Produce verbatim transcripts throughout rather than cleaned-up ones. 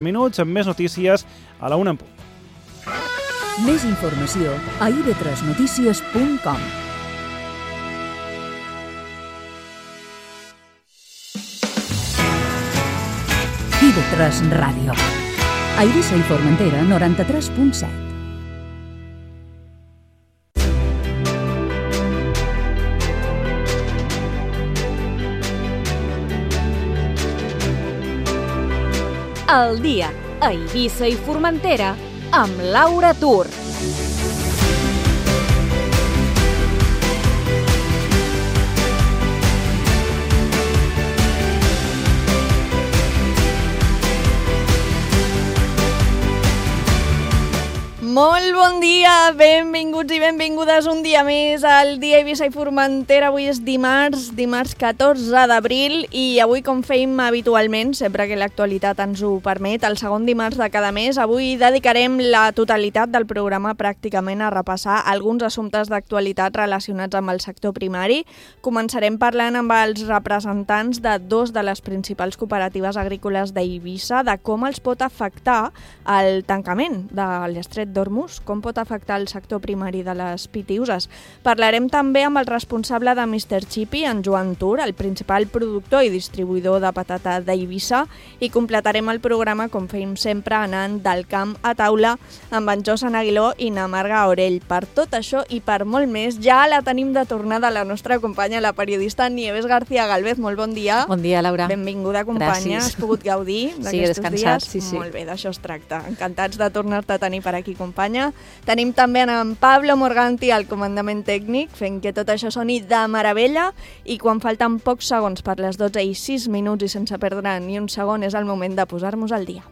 minuts amb més notícies a la una en punt. Més informació a i ve tres notícies punt com. i ve tres Ràdio. A Eivissa i Formentera, noranta-tres punt set. El dia a Eivissa i Formentera amb Laura Tur. Molt bon dia, benvinguts i benvingudes un dia més al dia Eivissa i Formentera. Avui és dimarts, dimarts catorze d'abril i avui, com fèiem habitualment, sempre que l'actualitat ens ho permet, el segon dimarts de cada mes, avui dedicarem la totalitat del programa pràcticament a repassar alguns assumptes d'actualitat relacionats amb el sector primari. Començarem parlant amb els representants de dos de les principals cooperatives agrícoles d'Eivissa de com els pot afectar el tancament de l'Estret d'Hormuz, com pot afectar el sector primari de les pitiüses. Parlarem també amb el responsable de mister Chippy, en Joan Tur, el principal productor i distribuïdor de patata d'Eivissa, i completarem el programa, com fèiem sempre, anant del camp a taula amb en Josan Aguiló i na Marga Orell. Per tot això i per molt més, ja la tenim de tornada la nostra companya, la periodista Nieves García Galvez. Molt bon dia. Bon dia, Laura. Benvinguda, companya. Gràcies. Has pogut gaudir d'aquests sí, descansat, dies? Sí, sí. Molt bé, d'això es tracta. Encantats de tornar-te a tenir per aquí, companya. Tenim també en Pablo Morganti al comandament tècnic, fent que tot això soni de meravella, i quan falten pocs segons per les dotze i sis minuts i sense perdre ni un segon és el moment de posar-nos al dia.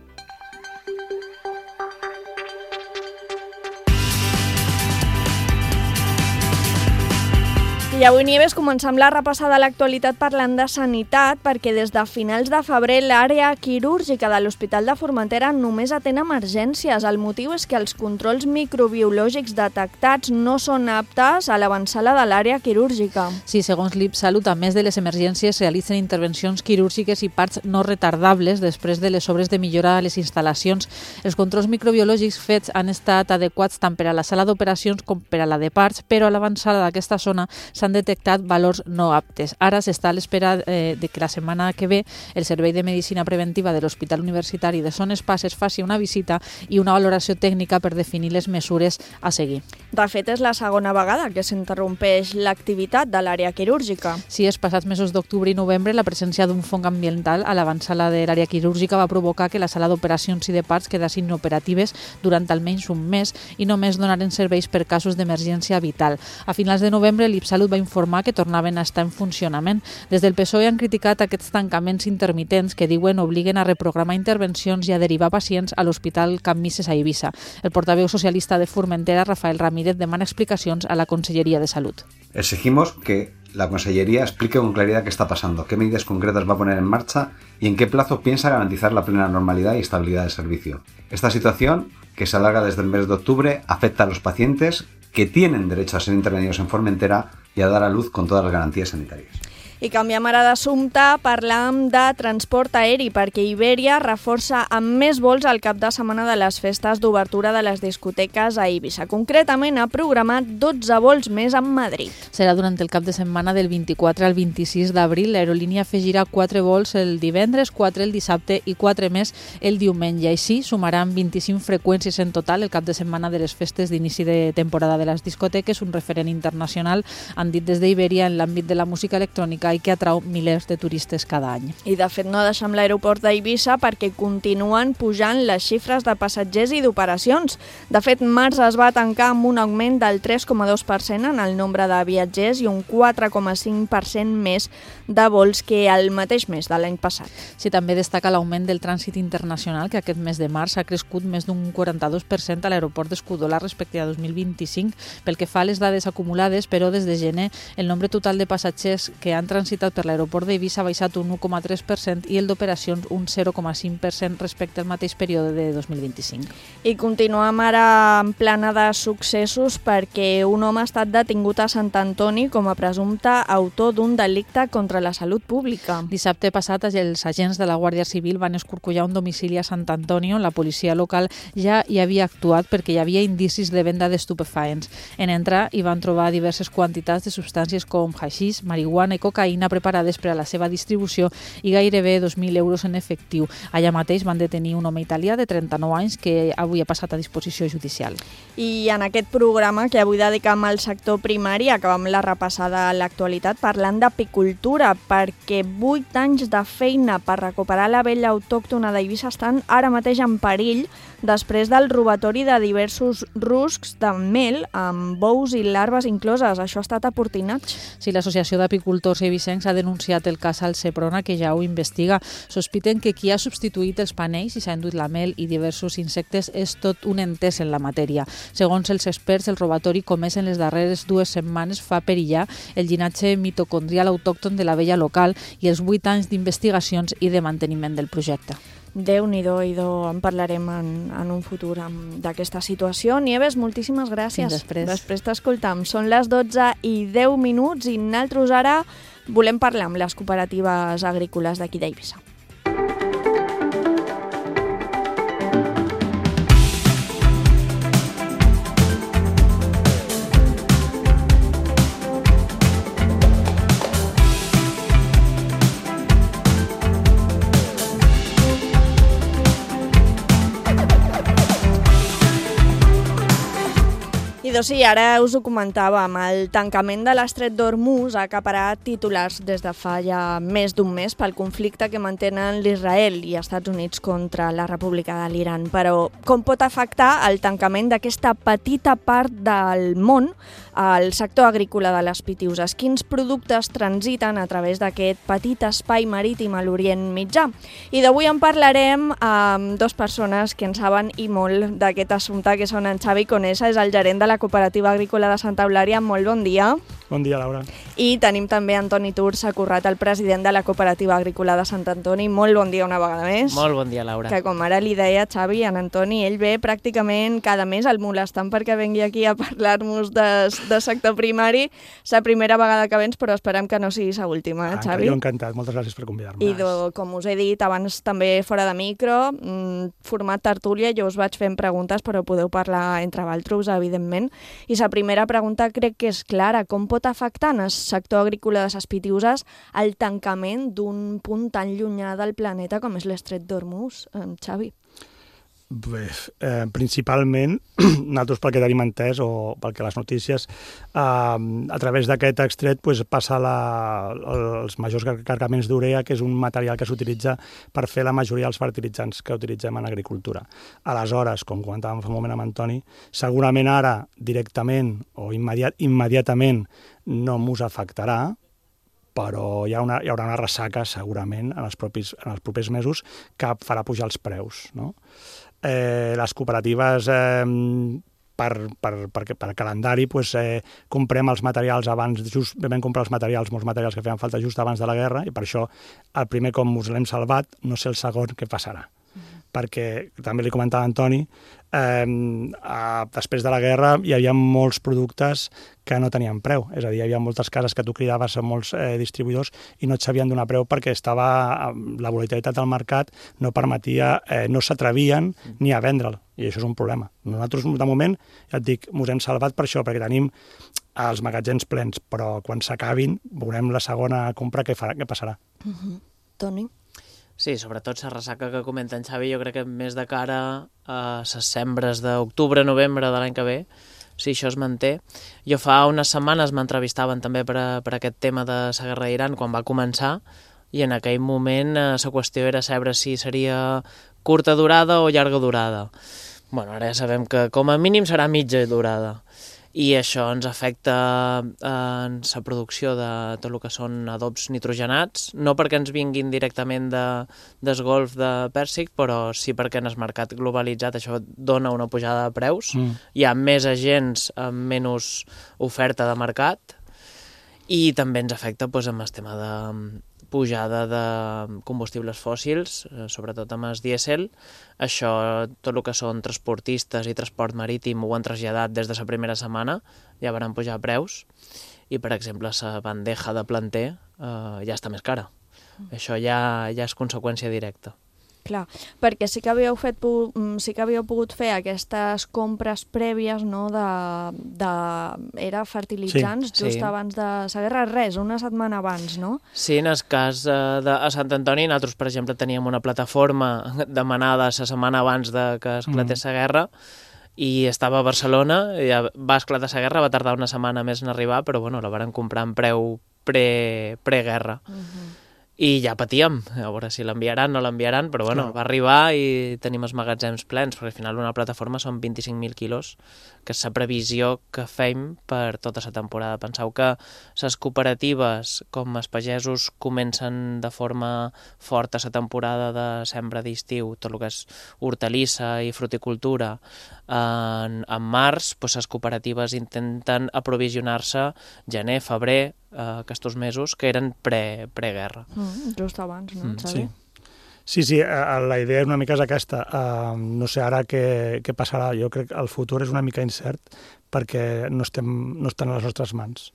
I avui, Nieves, comencem la repassada de l'actualitat parlant de sanitat, perquè des de finals de febrer l'àrea quirúrgica de l'Hospital de Formentera només atén emergències. El motiu és que els controls microbiològics detectats no són aptes a l'avançada de l'àrea quirúrgica. Sí, segons l'I P Salut, a més de les emergències, realitzen intervencions quirúrgiques i parts no retardables després de les obres de millora a les instal·lacions. Els controls microbiològics fets han estat adequats tant per a la sala d'operacions com per a la de parts, però a l'avançada d'aquesta zona s'han detectat valors no aptes. Ara s'està a l'espera eh, de que la setmana que ve el Servei de Medicina Preventiva de l'Hospital Universitari de Son Espases faci una visita i una valoració tècnica per definir les mesures a seguir. De fet, és la segona vegada que s'interrompeix l'activitat de l'àrea quirúrgica. Sí, els passats mesos d'octubre i novembre la presència d'un fong ambiental a l'avançada de l'àrea quirúrgica va provocar que la sala d'operacions i de parts quedassin inoperatives durant almenys un mes i només donaren serveis per casos d'emergència vital. A finals de novembre l'I P Salut va informar que tornaven a estar en funcionament. Des del P S O E han criticat aquests tancaments intermitents que diuen obliguen a reprogramar intervencions i a derivar pacients a l'Hospital Can Misses a Eivissa. El portaveu socialista de Formentera, Rafael Ramírez, demana explicacions a la Consellería de Salud. Exigimos que la Consellería explique con claridad qué está pasando, qué medidas concretas va a poner en marcha y en qué plazo piensa garantizar la plena normalidad y estabilidad del servicio. Esta situación, que se alarga desde el mes de octubre, afecta a los pacientes que tienen derecho a ser intervenidos en Formentera y a dar a luz con todas las garantías sanitarias. I canviem ara d'assumpte, parlam de transport aeri, perquè Iberia reforça amb més vols al cap de setmana de les festes d'obertura de les discoteques a Eivissa. Concretament ha programat dotze vols més a Madrid. Serà durant el cap de setmana del vint-i-quatre al vint-i-sis d'abril. L'aerolínia afegirà quatre vols el divendres, quatre el dissabte i quatre més el diumenge. Així sumaran vint-i-cinc freqüències en total el cap de setmana de les festes d'inici de temporada de les discoteques, un referent internacional, han dit des d'Iberia, en l'àmbit de la música electrònica i que atrau milers de turistes cada any. I de fet no deixem l'aeroport d'Eivissa perquè continuen pujant les xifres de passatgers i d'operacions. De fet, març es va tancar amb un augment del tres coma dos per cent en el nombre de viatgers i un quatre coma cinc per cent més de vols que el mateix mes de l'any passat. Sí, també destaca l'augment del trànsit internacional, que aquest mes de març ha crescut més d'un quaranta-dos per cent a l'aeroport d'Escudola respecte a dos mil vint-i-cinc. Pel que fa a les dades acumulades, però des de gener el nombre total de passatgers que han transitat per l'aeroport d'Eivissa ha baixat un u coma tres per cent i el d'operacions un zero coma cinc per cent respecte al mateix període de dos mil vint-i-cinc. I continuem ara en plana de successos perquè un home ha estat detingut a Sant Antoni com a presumpte autor d'un delicte contra la salut pública. Dissabte passat, els agents de la Guàrdia Civil van escorcollar un domicili a Sant Antoni on la policia local ja hi havia actuat perquè hi havia indicis de venda d'estupefaents. En entrar hi van trobar diverses quantitats de substàncies com haixís, marihuana i cocaïna preparades per a la seva distribució i gairebé dos mil euros en efectiu. Allà mateix van detenir un home italià de trenta-nou anys que avui ha passat a disposició judicial. I en aquest programa que avui dedicam al sector primari acabam la repassada a l'actualitat parlant d'apicultura perquè vuit anys de feina per recuperar la vella autòctona d'Eivissa estan ara mateix en perill després del robatori de diversos ruscs de mel amb bous i larves incloses. Això ha estat a Portinats. Sí, l'Associació d'Apicultors eivissencs ha denunciat el cas al Seprona, que ja ho investiga. Sospiten que qui ha substituït els panells i s'ha enduit la mel i diversos insectes és tot un entès en la matèria. Segons els experts, el robatori comès en les darreres dues setmanes fa perillar el llinatge mitocondrial autòcton de la vella local i els vuit anys d'investigacions i de manteniment del projecte. Déu-n'hi-do, idò, en parlarem en, en un futur d'aquesta situació. Nieves, moltíssimes gràcies. Fins després. Després t'escoltam. Són les dotze i deu minuts i nosaltres ara volem parlar amb les cooperatives agrícoles d'aquí d'Eivissa. I doncs sí, ara us ho comentàvem, el tancament de l'estret d'Hormuz ha acaparat titulars des de fa ja més d'un mes pel conflicte que mantenen l'Israel i Estats Units contra la República de l'Iran. Però com pot afectar el tancament d'aquesta petita part del món al sector agrícola de les Pitiuses? Quins productes transiten a través d'aquest petit espai marítim a l'Orient Mitjà? I d'avui en parlarem amb dues persones que en saben i molt d'aquest assumpte, que són en Xavi Conesa, és el gerent de la Cooperativa Agrícola de Santa Eulària. Molt bon dia. Bon dia, Laura. I tenim també Antoni Turs Acurrat, el president de la Cooperativa Agrícola de Sant Antoni. Molt bon dia una vegada més. Molt bon dia, Laura. Que com ara li deia Xavi, en Antoni, ell ve pràcticament cada mes el molestant perquè vengui aquí a parlar-nos de, de sector primari. És la primera vegada que vens, però esperem que no sigui la última, eh, Xavi? Jo encantat, moltes gràcies per convidar-me. I do, com us he dit abans també fora de micro, mmm, format tertúlia, jo us vaig fent preguntes, però podeu parlar entre vosaltres, evidentment. I la primera pregunta crec que és clara. Com pot afectar en el sector agrícola de les Pitiuses el tancament d'un punt tan llunyà del planeta com és l'estret d'Hormuz, Xavi? Bé, eh, principalment, nosaltres pel que tenim entès, o pel que les notícies, eh, a través d'aquest estret pues, passa la, els majors cargaments d'urea, que és un material que s'utilitza per fer la majoria dels fertilitzants que utilitzem en agricultura. Aleshores, com comentàvem fa un moment amb Antoni, segurament ara directament o immediat, immediatament no mos afectarà, però hi, ha una, hi haurà una ressaca segurament en els, propis, en els propers mesos que farà pujar els preus, no? Eh, les cooperatives eh, per, per, per, per calendari pues, eh, comprem els materials abans, just vam comprar els materials, molts materials que feien falta just abans de la guerra, i per això el primer com us l'hem salvat, no sé el segon què passarà. Mm-hmm. Perquè, també li comentava Antoni, eh, eh, després de la guerra hi havia molts productes que no tenien preu, és a dir, hi havia moltes cases que tu cridaves a molts eh, distribuïdors i no et sabien donar preu perquè estava la volatilitat del mercat no permetia, eh, no s'atrevien ni a vendre'l, i això és un problema. Nosaltres, de moment, ja et dic, ens hem salvat per això, perquè tenim els magatzems plens, però quan s'acabin veurem la segona compra què, farà, què passarà. Uh-huh. Toni? Sí, sobretot la ressaca que comenta en Xavi, jo crec que més de cara a les sembres d'octubre, novembre de l'any que ve, si això es manté. Jo fa unes setmanes m'entrevistaven també per, a, per aquest tema de la guerra d'Iran quan va començar, i en aquell moment eh, la qüestió era saber si seria curta durada o llarga durada. Bueno, ara ja sabem que com a mínim serà mitja durada. I això ens afecta en la producció de tot el que són adobs nitrogenats, no perquè ens vinguin directament de, del golf de Pèrsic, però sí perquè en el mercat globalitzat això dona una pujada de preus, mm. hi ha més agents amb menys oferta de mercat, I també ens afecta doncs, amb el tema de pujada de combustibles fòssils, sobretot amb el dièsel. Això, tot el que són transportistes i transport marítim ho han traslladat des de la primera setmana, ja van pujar preus, i per exemple la bandeja de planter eh, ja està més cara. Mm. Això ja, ja és conseqüència directa. Clar, perquè sí que havíeu fet, sí que havíeu pogut fer aquestes compres prèvies, no?, de, de era fertilitzants, sí, just sí. abans de la guerra, res, una setmana abans, no? Sí, en el cas de, de a Sant Antoni, nosaltres, per exemple, teníem una plataforma demanada la setmana abans de que esclatés la mm. guerra, i estava a Barcelona, ja va esclatar la guerra, va tardar una setmana més en arribar, però bueno, la varen comprar en preu pre, preguerra. Mm-hmm. I ja patíem, a veure si l'enviaran o no l'enviaran, però bueno, va arribar i tenim els magatzems plens, perquè al final una plataforma són vint-i-cinc mil quilos, que és la previsió que fem per tota la temporada. Penseu que les cooperatives, com els pagesos, comencen de forma forta la temporada de sembra d'estiu, tot el que és hortalissa i fruticultura, en, en març, doncs les cooperatives intenten aprovisionar-se gener, febrer, Uh, aquests mesos que eren pre, preguerra. Mm, just abans, no? Mm, sí. sí, sí, uh, la idea una mica és aquesta. Uh, no sé ara què, què passarà. Jo crec que el futur és una mica incert perquè no, estem, no estan a les nostres mans.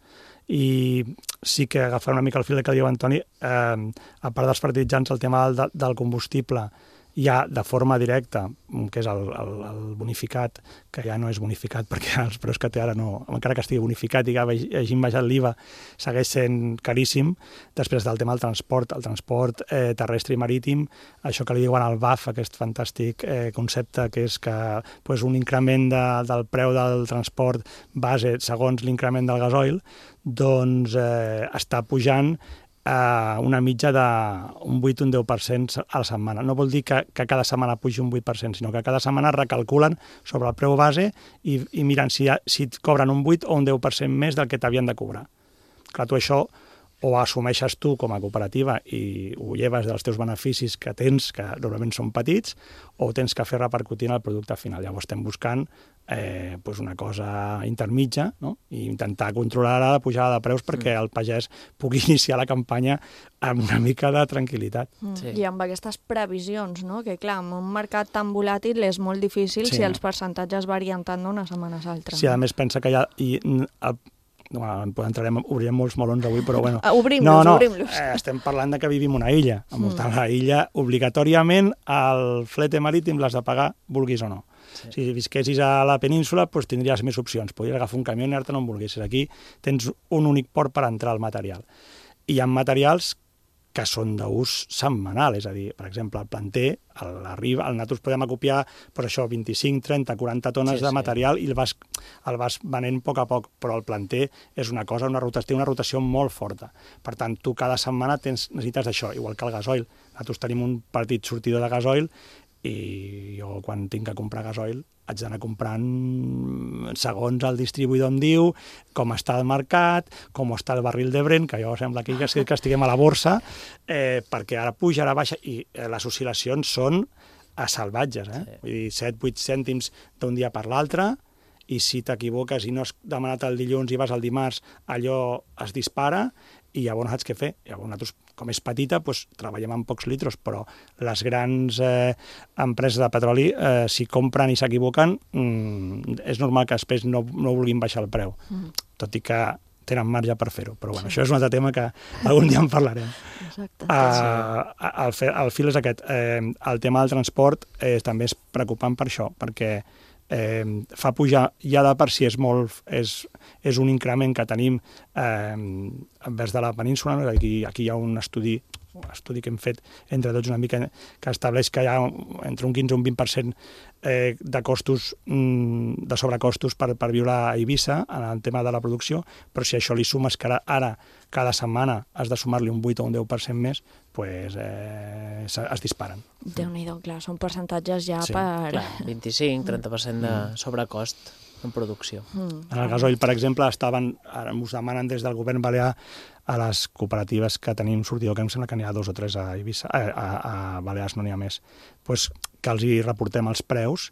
I sí que agafar una mica el fil que diu Antoni, uh, a part dels fertilitzants, el tema del, del combustible ja de forma directa, que és el, el, el bonificat, que ja no és bonificat perquè els preus que té ara, no, encara que estigui bonificat i que hagin baixat l'I V A, segueix sent caríssim. Després del tema del transport, el transport eh, terrestre i marítim, això que li diuen al B A F, aquest fantàstic eh, concepte que és que pues, un increment de, del preu del transport base segons l'increment del gasoil, doncs eh, està pujant Uh, una mitja d'un vuit o un deu per cent a la setmana. No vol dir que, que cada setmana pugi un vuit per cent, sinó que cada setmana recalculen sobre el preu base i, i miren si, ha, si et cobren un vuit o un deu per cent més del que t'havien de cobrar. Clar, tu això o assumeixes tu com a cooperativa i ho lleves dels teus beneficis que tens, que normalment són petits, o tens que fer repercutir en el producte final. Llavors estem buscant eh, pues una cosa intermitja, no? I intentar controlar la pujada de preus perquè el pagès pugui iniciar la campanya amb una mica de tranquil·litat. Mm. Sí. I amb aquestes previsions, no? Que clar, en un mercat tan volàtil és molt difícil sí. si els percentatges varien tant d'una setmana a l'altra. Sí, a més pensa que hi ha... I, el, Bueno, entrarem, obrirem molts melons avui, però bueno... Obrim-los, no, no, obrim-los. Eh, estem parlant de que vivim una illa. Envoltant mm. la illa, obligatòriament, el flete marítim l'has de pagar, vulguis o no. Sí. Si visquessis a la península, doncs tindries més opcions. Podries agafar un camió i anar-te'n on volguessis. Aquí tens un únic port per entrar al material. I hi ha materials que són d'ús setmanal, és a dir, per exemple, el planter, l'arriba, el nosaltres podem acopiar per això vint-i-cinc, trenta, quaranta tones sí, de material sí. i el vas, el vas venent a poc a poc, però el planter és una cosa, una rotació, una rotació molt forta. Per tant, tu cada setmana tens, necessites d'això, igual que el gasoil. Nosaltres tenim un petit sortidor de gasoil i jo quan tinc que comprar gasoil haig d'anar comprant segons el distribuïdor em diu, com està el mercat, com està el barril de Brent, que jo sembla aquí que, que estiguem a la borsa, eh, perquè ara puja, ara baixa, i eh, les oscil·lacions són a salvatges, eh? Sí. Vull dir, set vuit cèntims d'un dia per l'altre, i si t'equivoques i no has demanat el dilluns i vas al dimarts, allò es dispara, i llavors saps què fer. Llavors nosaltres, com és petita, doncs, treballem amb pocs litros, però les grans eh, empreses de petroli, eh, si compren i s'equivoquen, mm, és normal que després no, no vulguin baixar el preu, mm. tot i que tenen marge per fer-ho. Però bueno, sí. Això és un altre tema que algun dia en parlarem. Exacte. Uh, el, el fil és aquest. Eh, el tema del transport eh, també és preocupant per això, perquè Eh, fa pujar, ja de per si és molt, és, és un increment que tenim eh, envers de la península, no? aquí, aquí hi ha un estudi, un estudi que hem fet entre tots una mica, que estableix que hi ha entre un quinze i un vint per cent eh, de costos, mm, de sobrecostos per, per viure a Eivissa en el tema de la producció, però si això li sumes que ara, ara cada setmana has de sumar-li un vuit o un deu per cent més, pues, eh, es disparen. Déu-n'hi-do, clar, són percentatges ja sí, per... Clar, vint-i-cinc trenta per cent de sobrecost en producció. Mm. En el gasoil, per exemple, estaven, ara us demanen des del govern balear a les cooperatives que tenim sortidor, que em sembla que n'hi ha dos o tres a Eivissa, a, a, a Balears no n'hi ha més, pues, que els hi reportem els preus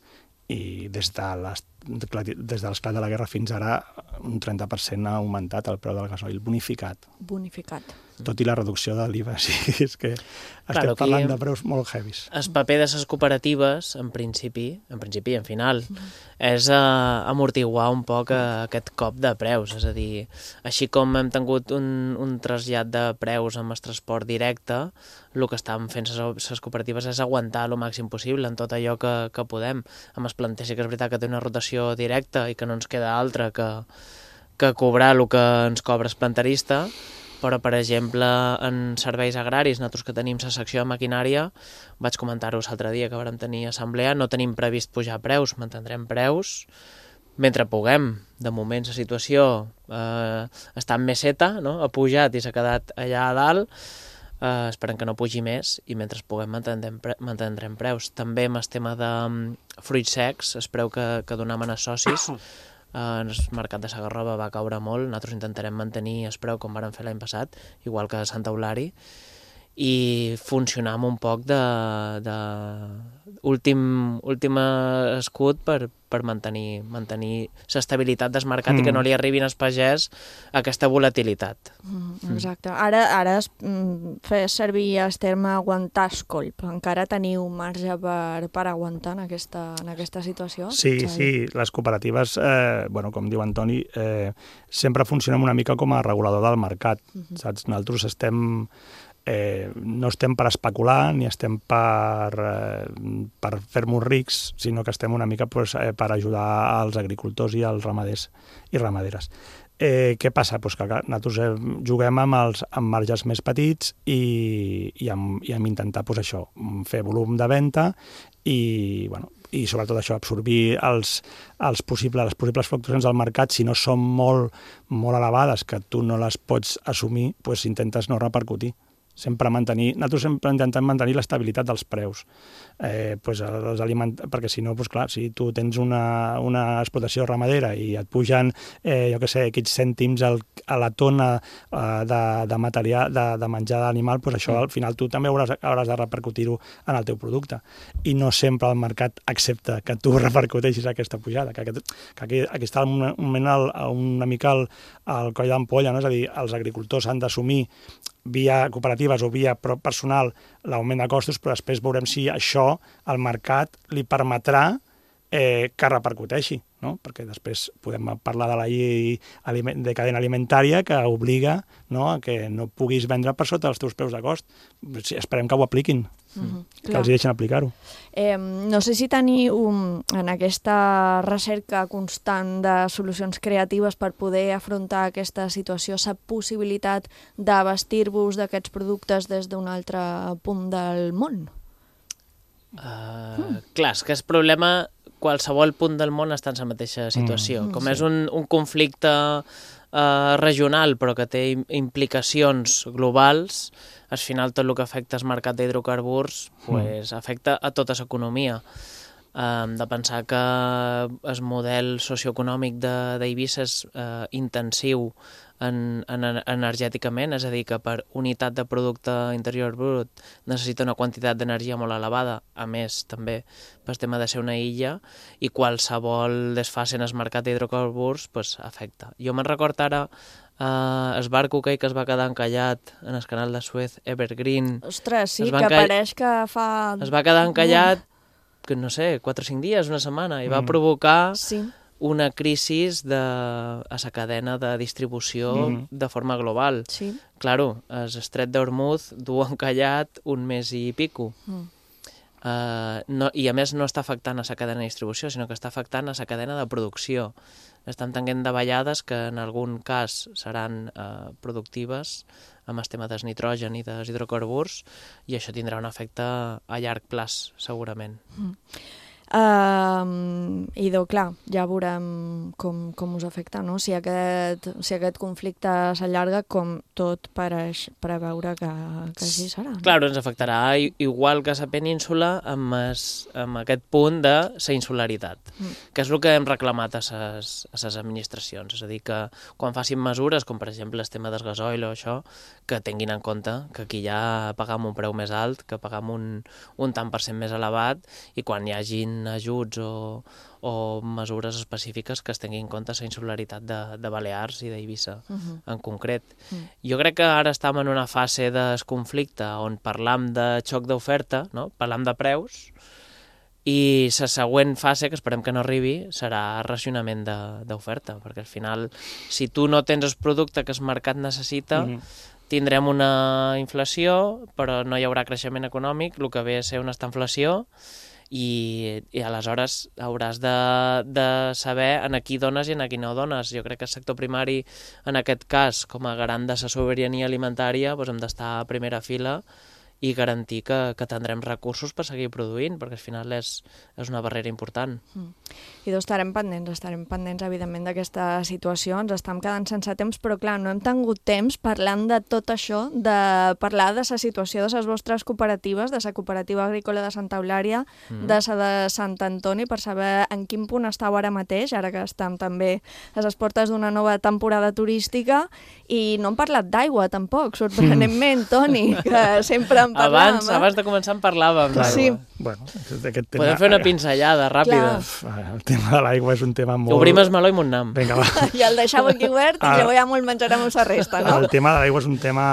i des de les des de l'esclat de la guerra fins ara un trenta per cent ha augmentat el preu del gasoil bonificat. Bonificat. Tot i la reducció de l'I V A, sí, és que estem Claro, aquí parlant de preus molt heavies. El paper de les cooperatives, en principi, en principi i en final, és uh, amortiguar un poc uh, aquest cop de preus. És a dir, així com hem tingut un, un trasllat de preus amb el transport directe, el que estan fent les cooperatives és aguantar el màxim possible en tot allò que, que podem. Amb el planter sí que és veritat que té una rotació directa i que no ens queda altra que, que cobrar el que ens cobra el planterista, però, per exemple, en serveis agraris, nosaltres que tenim la secció de maquinària, vaig comentar-ho l'altre dia que vam tenir assemblea, no tenim previst pujar preus, mantindrem preus mentre puguem. De moment la situació eh, està en meseta, no? Ha pujat i s'ha quedat allà a dalt, eh, esperem que no pugi més i mentre puguem mantindrem, pre mantindrem preus. També amb el tema de um, fruits secs, es preu que, que donem a els socis, en el mercat de Sagarrova va caure molt, nosaltres intentarem mantenir el preu com vàrem fer l'any passat, igual que a Sant Eulari, i funcionar amb un poc de, de últim, últim escut per, per mantenir mantenir l'estabilitat del mercat mm. i que no li arribin als pagès aquesta volatilitat. Mm, exacte. Ara, ara es mm, fes servir el terme aguantar el colp. Encara teniu marge per, per aguantar en aquesta, en aquesta situació? Sí, Xavi? Sí. Les cooperatives, eh, bueno, com diu Antoni, eh, sempre funcionen una mica com a regulador del mercat. Mm-hmm. Saps? Nosaltres estem... Eh, no estem per especular ni estem per, eh, per fer-nos rics, sinó que estem una mica pues, eh, per ajudar als agricultors i als ramaders i ramaderes. Eh, què passa? Pues que nosaltres eh, juguem amb els amb marges més petits i, i, amb, i amb intentar pues, això, fer volum de venda i, bueno, i sobretot això, absorbir els, els possibles, les possibles fluctuacions del mercat. Si no són molt, molt elevades, que tu no les pots assumir, pues, intentes no repercutir. Sempre mantenir, nosaltres sempre intentem mantenir l'estabilitat dels preus, eh, pues els aliment... perquè si no, pues clar, si tu tens una, una explotació ramadera i et pugen, eh, jo què sé, aquests cèntims al, a la tona eh, de, de material, de, de menjar d'animal, pues això al final tu també hauràs, hauràs de repercutir-ho en el teu producte. I no sempre el mercat accepta que tu repercuteixis aquesta pujada, que, aquest, que aquí, aquí està un moment el, una mica el, el coll d'ampolla, no? És a dir, els agricultors han d'assumir via cooperatives o via personal l'augment de costos, però després veurem si això al mercat li permetrà eh, que repercuteixi, no? Perquè després podem parlar de la llei de cadena alimentària que obliga, no, a que no puguis vendre per sota els teus preus de cost. Esperem que ho apliquin, mm-hmm. que els hi deixen aplicar-ho. Eh, no sé si teniu um, en aquesta recerca constant de solucions creatives per poder afrontar aquesta situació, la possibilitat d'abastir-vos d'aquests productes des d'un altre punt del món? Uh, mm. Clar, és que el problema, qualsevol punt del món està en la mateixa situació. Mm, Com sí. és un, un conflicte uh, regional, però que té implicacions globals, al final tot el que afecta el mercat d'hidrocarburs pues, mm. afecta a tota l'economia. Um, de pensar que el model socioeconòmic d'Eivissa és uh, intensiu en, en, energèticament, és a dir, que per unitat de producte interior brut necessita una quantitat d'energia molt elevada, a més també per tema de ser una illa, i qualsevol desfase en el mercat d'hidrocarburs pues, afecta. Jo me'n record ara Uh, el barco aquell que es va quedar encallat en el canal de Suez, Evergreen. Ostres, sí, que encall... pareix que fa... Es va quedar encallat, que no sé, quatre o cinc dies, una setmana, i va mm. provocar sí. una crisi de, a la cadena de distribució mm. de forma global. Sí. Claro, el estret d'Hormuz du encallat un mes i pico. Mm. Uh, no, I a més no està afectant a la cadena de distribució, sinó que està afectant a la cadena de producció. Estan tenint davallades que en algun cas seran uh, productives amb el tema del nitrogen i dels hidrocarburs, i això tindrà un efecte a llarg plaç, segurament. Mm. Uh, idò, clar, ja veurem com, com us afecta, no? Si aquest, si aquest conflicte s'allarga, com tot pareix preveure que, que així serà. No? Clar, ens afectarà igual que a la península amb, es, amb aquest punt de la insularitat, mm. que és el que hem reclamat a les administracions. És a dir, que quan facin mesures, com per exemple el tema del gasoil o això, que tinguin en compte que aquí ja pagam un preu més alt, que pagam un, un tant per cent més elevat, i quan hi hagin ajuts o o, o mesures específiques que es tinguin en compte la insularitat de, de Balears i d'Eivissa uh-huh. en concret. Uh-huh. Jo crec que ara estem en una fase de conflicte on parlam de xoc d'oferta, no? Parlam de preus, i la següent fase, que esperem que no arribi, serà racionament d'oferta, perquè al final, si tu no tens el producte que el mercat necessita, mm-hmm. tindrem una inflació, però no hi haurà creixement econòmic, el que ve a ser una estanflació, i, i aleshores hauràs de, de saber en a qui dones i en a qui no dones. Jo crec que el sector primari, en aquest cas, com a garant de la sobirania alimentària, doncs hem d'estar a primera fila i garantir que, que tindrem recursos per seguir produint, perquè al final és, és una barrera important. Mm. I doncs estarem pendents, estarem pendents, evidentment, d'aquesta situació. Ens estem quedant sense temps, però clar, no hem tingut temps parlant de tot això, de parlar de la situació de les vostres cooperatives, de la cooperativa agrícola de Santa Eulària, mm. de la de Sant Antoni, per saber en quin punt estàu ara mateix, ara que estem també a les portes d'una nova temporada turística, i no hem parlat d'aigua, tampoc, sorprenentment, Toni, que sempre en parlàvem. Abans, eh? abans de començar en parlàvem d'aigua. Sí. Bueno, aquest tema... Podem fer una pinzellada ràpida. Clar. El tema de l'aigua és un tema molt... Obrim el meló i m'onnam. Vinga, va. I el deixeu aquí obert i llavors ja molt menjarem la resta, no? El tema de l'aigua és un tema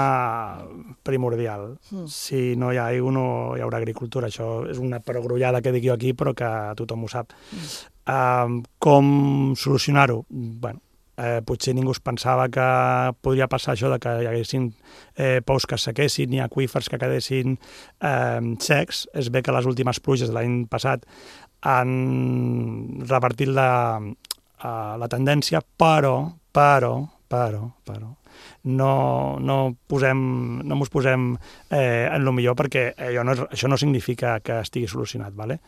primordial. Mm. Si no hi ha aigua no hi haurà agricultura. Això és una perogrullada que dic jo aquí, però que tothom ho sap. Mm. Uh, com solucionar-ho? Bueno, Eh, potser ningú es pensava que podria passar això de que hi haguessin eh, pous que es sequessin i aqüífers que quedessin eh, secs. És bé que les últimes pluges de l'any passat han revertit la, eh, la tendència, però, però, però, però, no, no, posem, no mos posem eh, en lo millor, perquè allò no, això no significa que estigui solucionat, ¿vale?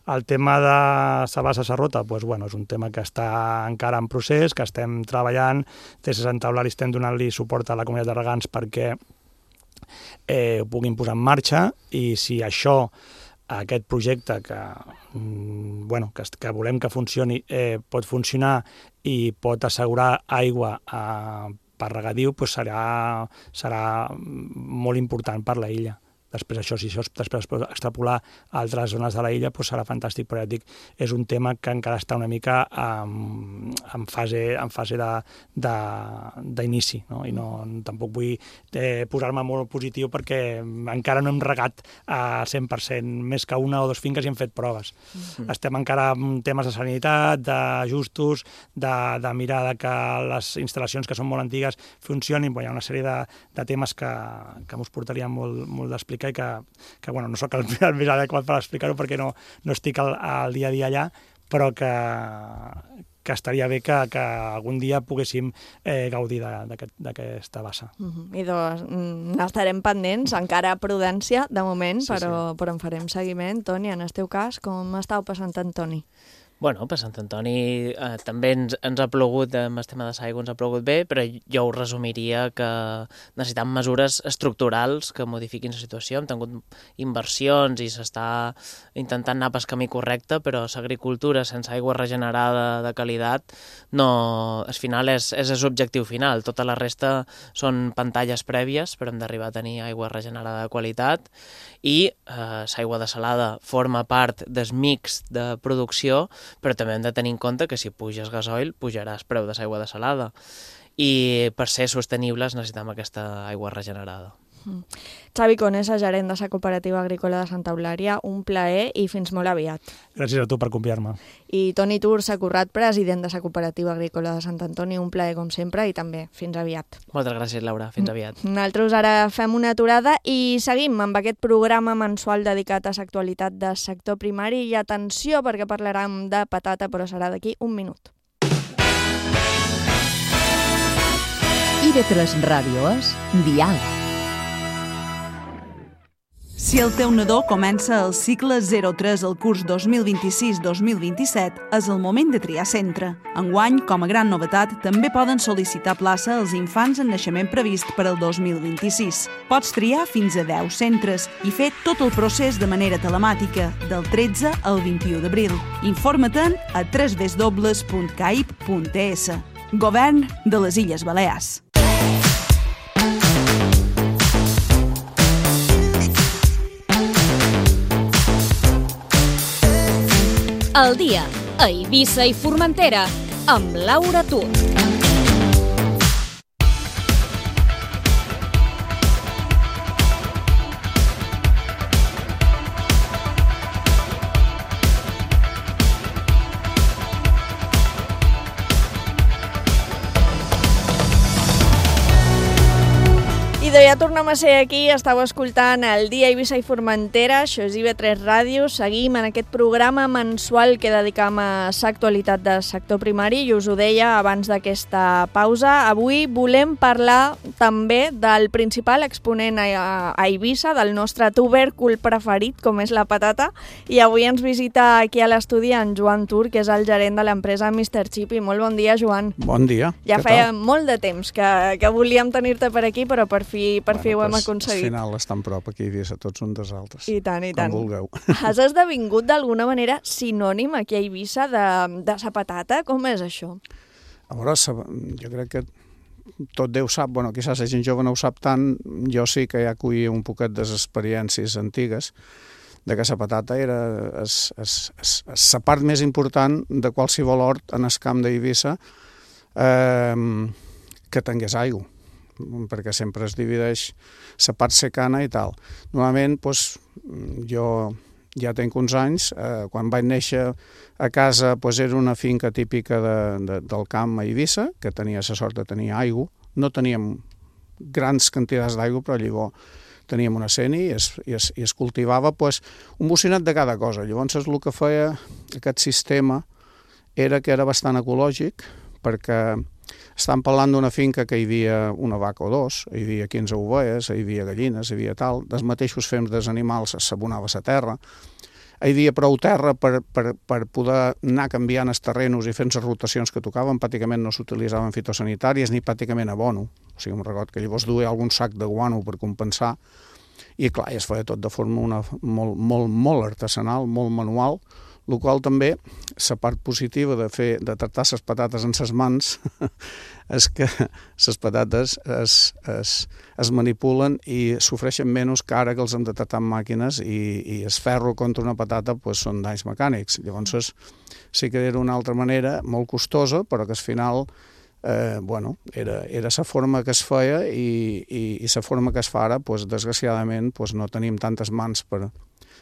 El tema de la bassa serrota, doncs, bueno, és un tema que està encara en procés, que estem treballant. Des de Santa Eulària estem donant-li suport a la comunitat de regants perquè eh, ho puguin posar en marxa, i si això, aquest projecte que, bueno, que, que volem que funcioni, eh, pot funcionar i pot assegurar aigua a, per regadiu, doncs serà, serà molt important per la illa. Després això, si això es després pot extrapolar a altres zones de la illa, doncs serà fantàstic, però ja dic, és un tema que encara està una mica en, en fase, en fase d'inici, no? I no, tampoc vull eh, posar-me molt positiu perquè encara no hem regat a cent per cent, més que una o dues finques i hem fet proves. Mm-hmm. Estem encara en temes de sanitat, d'ajustos, de, de mirar de que les instal·lacions que són molt antigues funcionin. Bueno, hi ha una sèrie de, de temes que, que us portaria molt, molt d'explicar i que, que bueno, no sóc el, el més adequat per explicar-ho perquè no, no estic al, al dia a dia allà, però que, que estaria bé que, que algun dia poguéssim eh, gaudir d'aquesta bassa. Uh-huh. I doncs n'estarem pendents, encara prudència de moment, sí, però, sí. però en farem seguiment. Toni, en el teu cas, com estàu passant Antoni? Bueno, per Sant Antoni eh, també ens, ens ha plogut, amb el tema de l'aigua ens ha plogut bé, però jo ho resumiria que necessitem mesures estructurals que modifiquin la situació. Hem tingut inversions i s'està intentant anar pel camí correcte, però l'agricultura sense aigua regenerada de qualitat no, al final és, és l'objectiu final. Tota la resta són pantalles prèvies, però hem d'arribar a tenir aigua regenerada de qualitat, i eh, l'aigua desalada forma part del mix de producció, però també hem de tenir en compte que si puges gasoil, pujarà el preu de l'aigua desalada. I per ser sostenibles necessitem aquesta aigua regenerada. Mm. Xavi Conesa, gerent de la Cooperativa Agrícola de Santa Eulària, un plaer i fins molt aviat. Gràcies a tu per convidar-me. I Toni Tur Sacurrat, president de la Cooperativa Agrícola de Sant Antoni, un plaer com sempre i també fins aviat. Moltes gràcies, Laura. Fins aviat. Nosaltres ara fem una aturada i seguim amb aquest programa mensual dedicat a l'actualitat del sector primari, i atenció perquè parlarem de patata, però serà d'aquí un minut. I de tres Ràdio és Dial. Si el teu nadó comença el cicle zero tres al curs dos mil vint-i-sis dos mil vint-i-set, és el moment de triar centre. Enguany, com a gran novetat, també poden sol·licitar plaça als infants en naixement previst per al dos mil vint-i-sis. Pots triar fins a deu centres i fer tot el procés de manera telemàtica, del tretze al vint-i-u d'abril. Informa-te'n a w w w punt caip punt e s. Govern de les Illes Balears. al dia, a Eivissa i Formentera, amb Laura Tur. Ja tornem a ser aquí, estàu escoltant el Dia Eivissa i Formentera, això és I V tres Ràdio, seguim en aquest programa mensual que dedicam a l'actualitat del sector primari i us ho deia abans d'aquesta pausa. Avui volem parlar també del principal exponent a Eivissa, del nostre tubèrcul preferit, com és la patata, i avui ens visita aquí a l'estudi en Joan Tur, que és el gerent de l'empresa mister Chippy. Molt bon dia, Joan. Bon dia. Ja feia molt de temps que, que volíem tenir-te per aquí, però per fi Per bueno, fi ho hem pues, aconseguit. Al final estan prop aquí a Eivissa, tots un dels altres. I tant, i tant. Com vulgueu. Has esdevingut d'alguna manera sinònim aquí a Eivissa de, de sa patata? Com és això? A veure, jo crec que tot Déu sap, bueno, quizás la gent jove no ho sap tant, jo sí que ja acollia un poquet de les experiències antigues de que la patata era la part més important de qualsevol hort en el camp d'Eivissa eh, que tingués aigua, perquè sempre es divideix la part secana i tal. Normalment, doncs, jo ja tinc uns anys, eh, quan vaig néixer a casa, doncs era una finca típica de, de, del camp a Eivissa, que tenia la sort de tenir aigua. No teníem grans quantitats d'aigua, però llavors teníem una seni i es, i es, i es cultivava doncs, un bocinat de cada cosa. Llavors el que feia aquest sistema era que era bastant ecològic, perquè estan parlant d'una finca que hi havia una vaca o dos, hi havia quinze ovelles, hi havia gallines, hi havia tal, dels mateixos fems dels animals s'abonava la terra, hi havia prou terra per, per, per poder anar canviant els terrenos i fent les rotacions que tocaven, pràcticament no s'utilitzaven fitosanitàries ni pràcticament abono, o sigui, em record que llavors duia algun sac de guano per compensar, i clar, es feia tot de forma una, molt, molt, molt artesanal, molt manual, el qual també, la part positiva de fer de tractar les patates en les mans és que les patates es, es, es manipulen i sofreixen menys que ara que els hem de tractar amb màquines i, i el ferro contra una patata pues, són danys mecànics. Llavors sí que era una altra manera molt costosa, però que al final eh, bueno, era, era la forma que es feia i, i, i la forma que es fa ara, pues, desgraciadament pues, no tenim tantes mans per,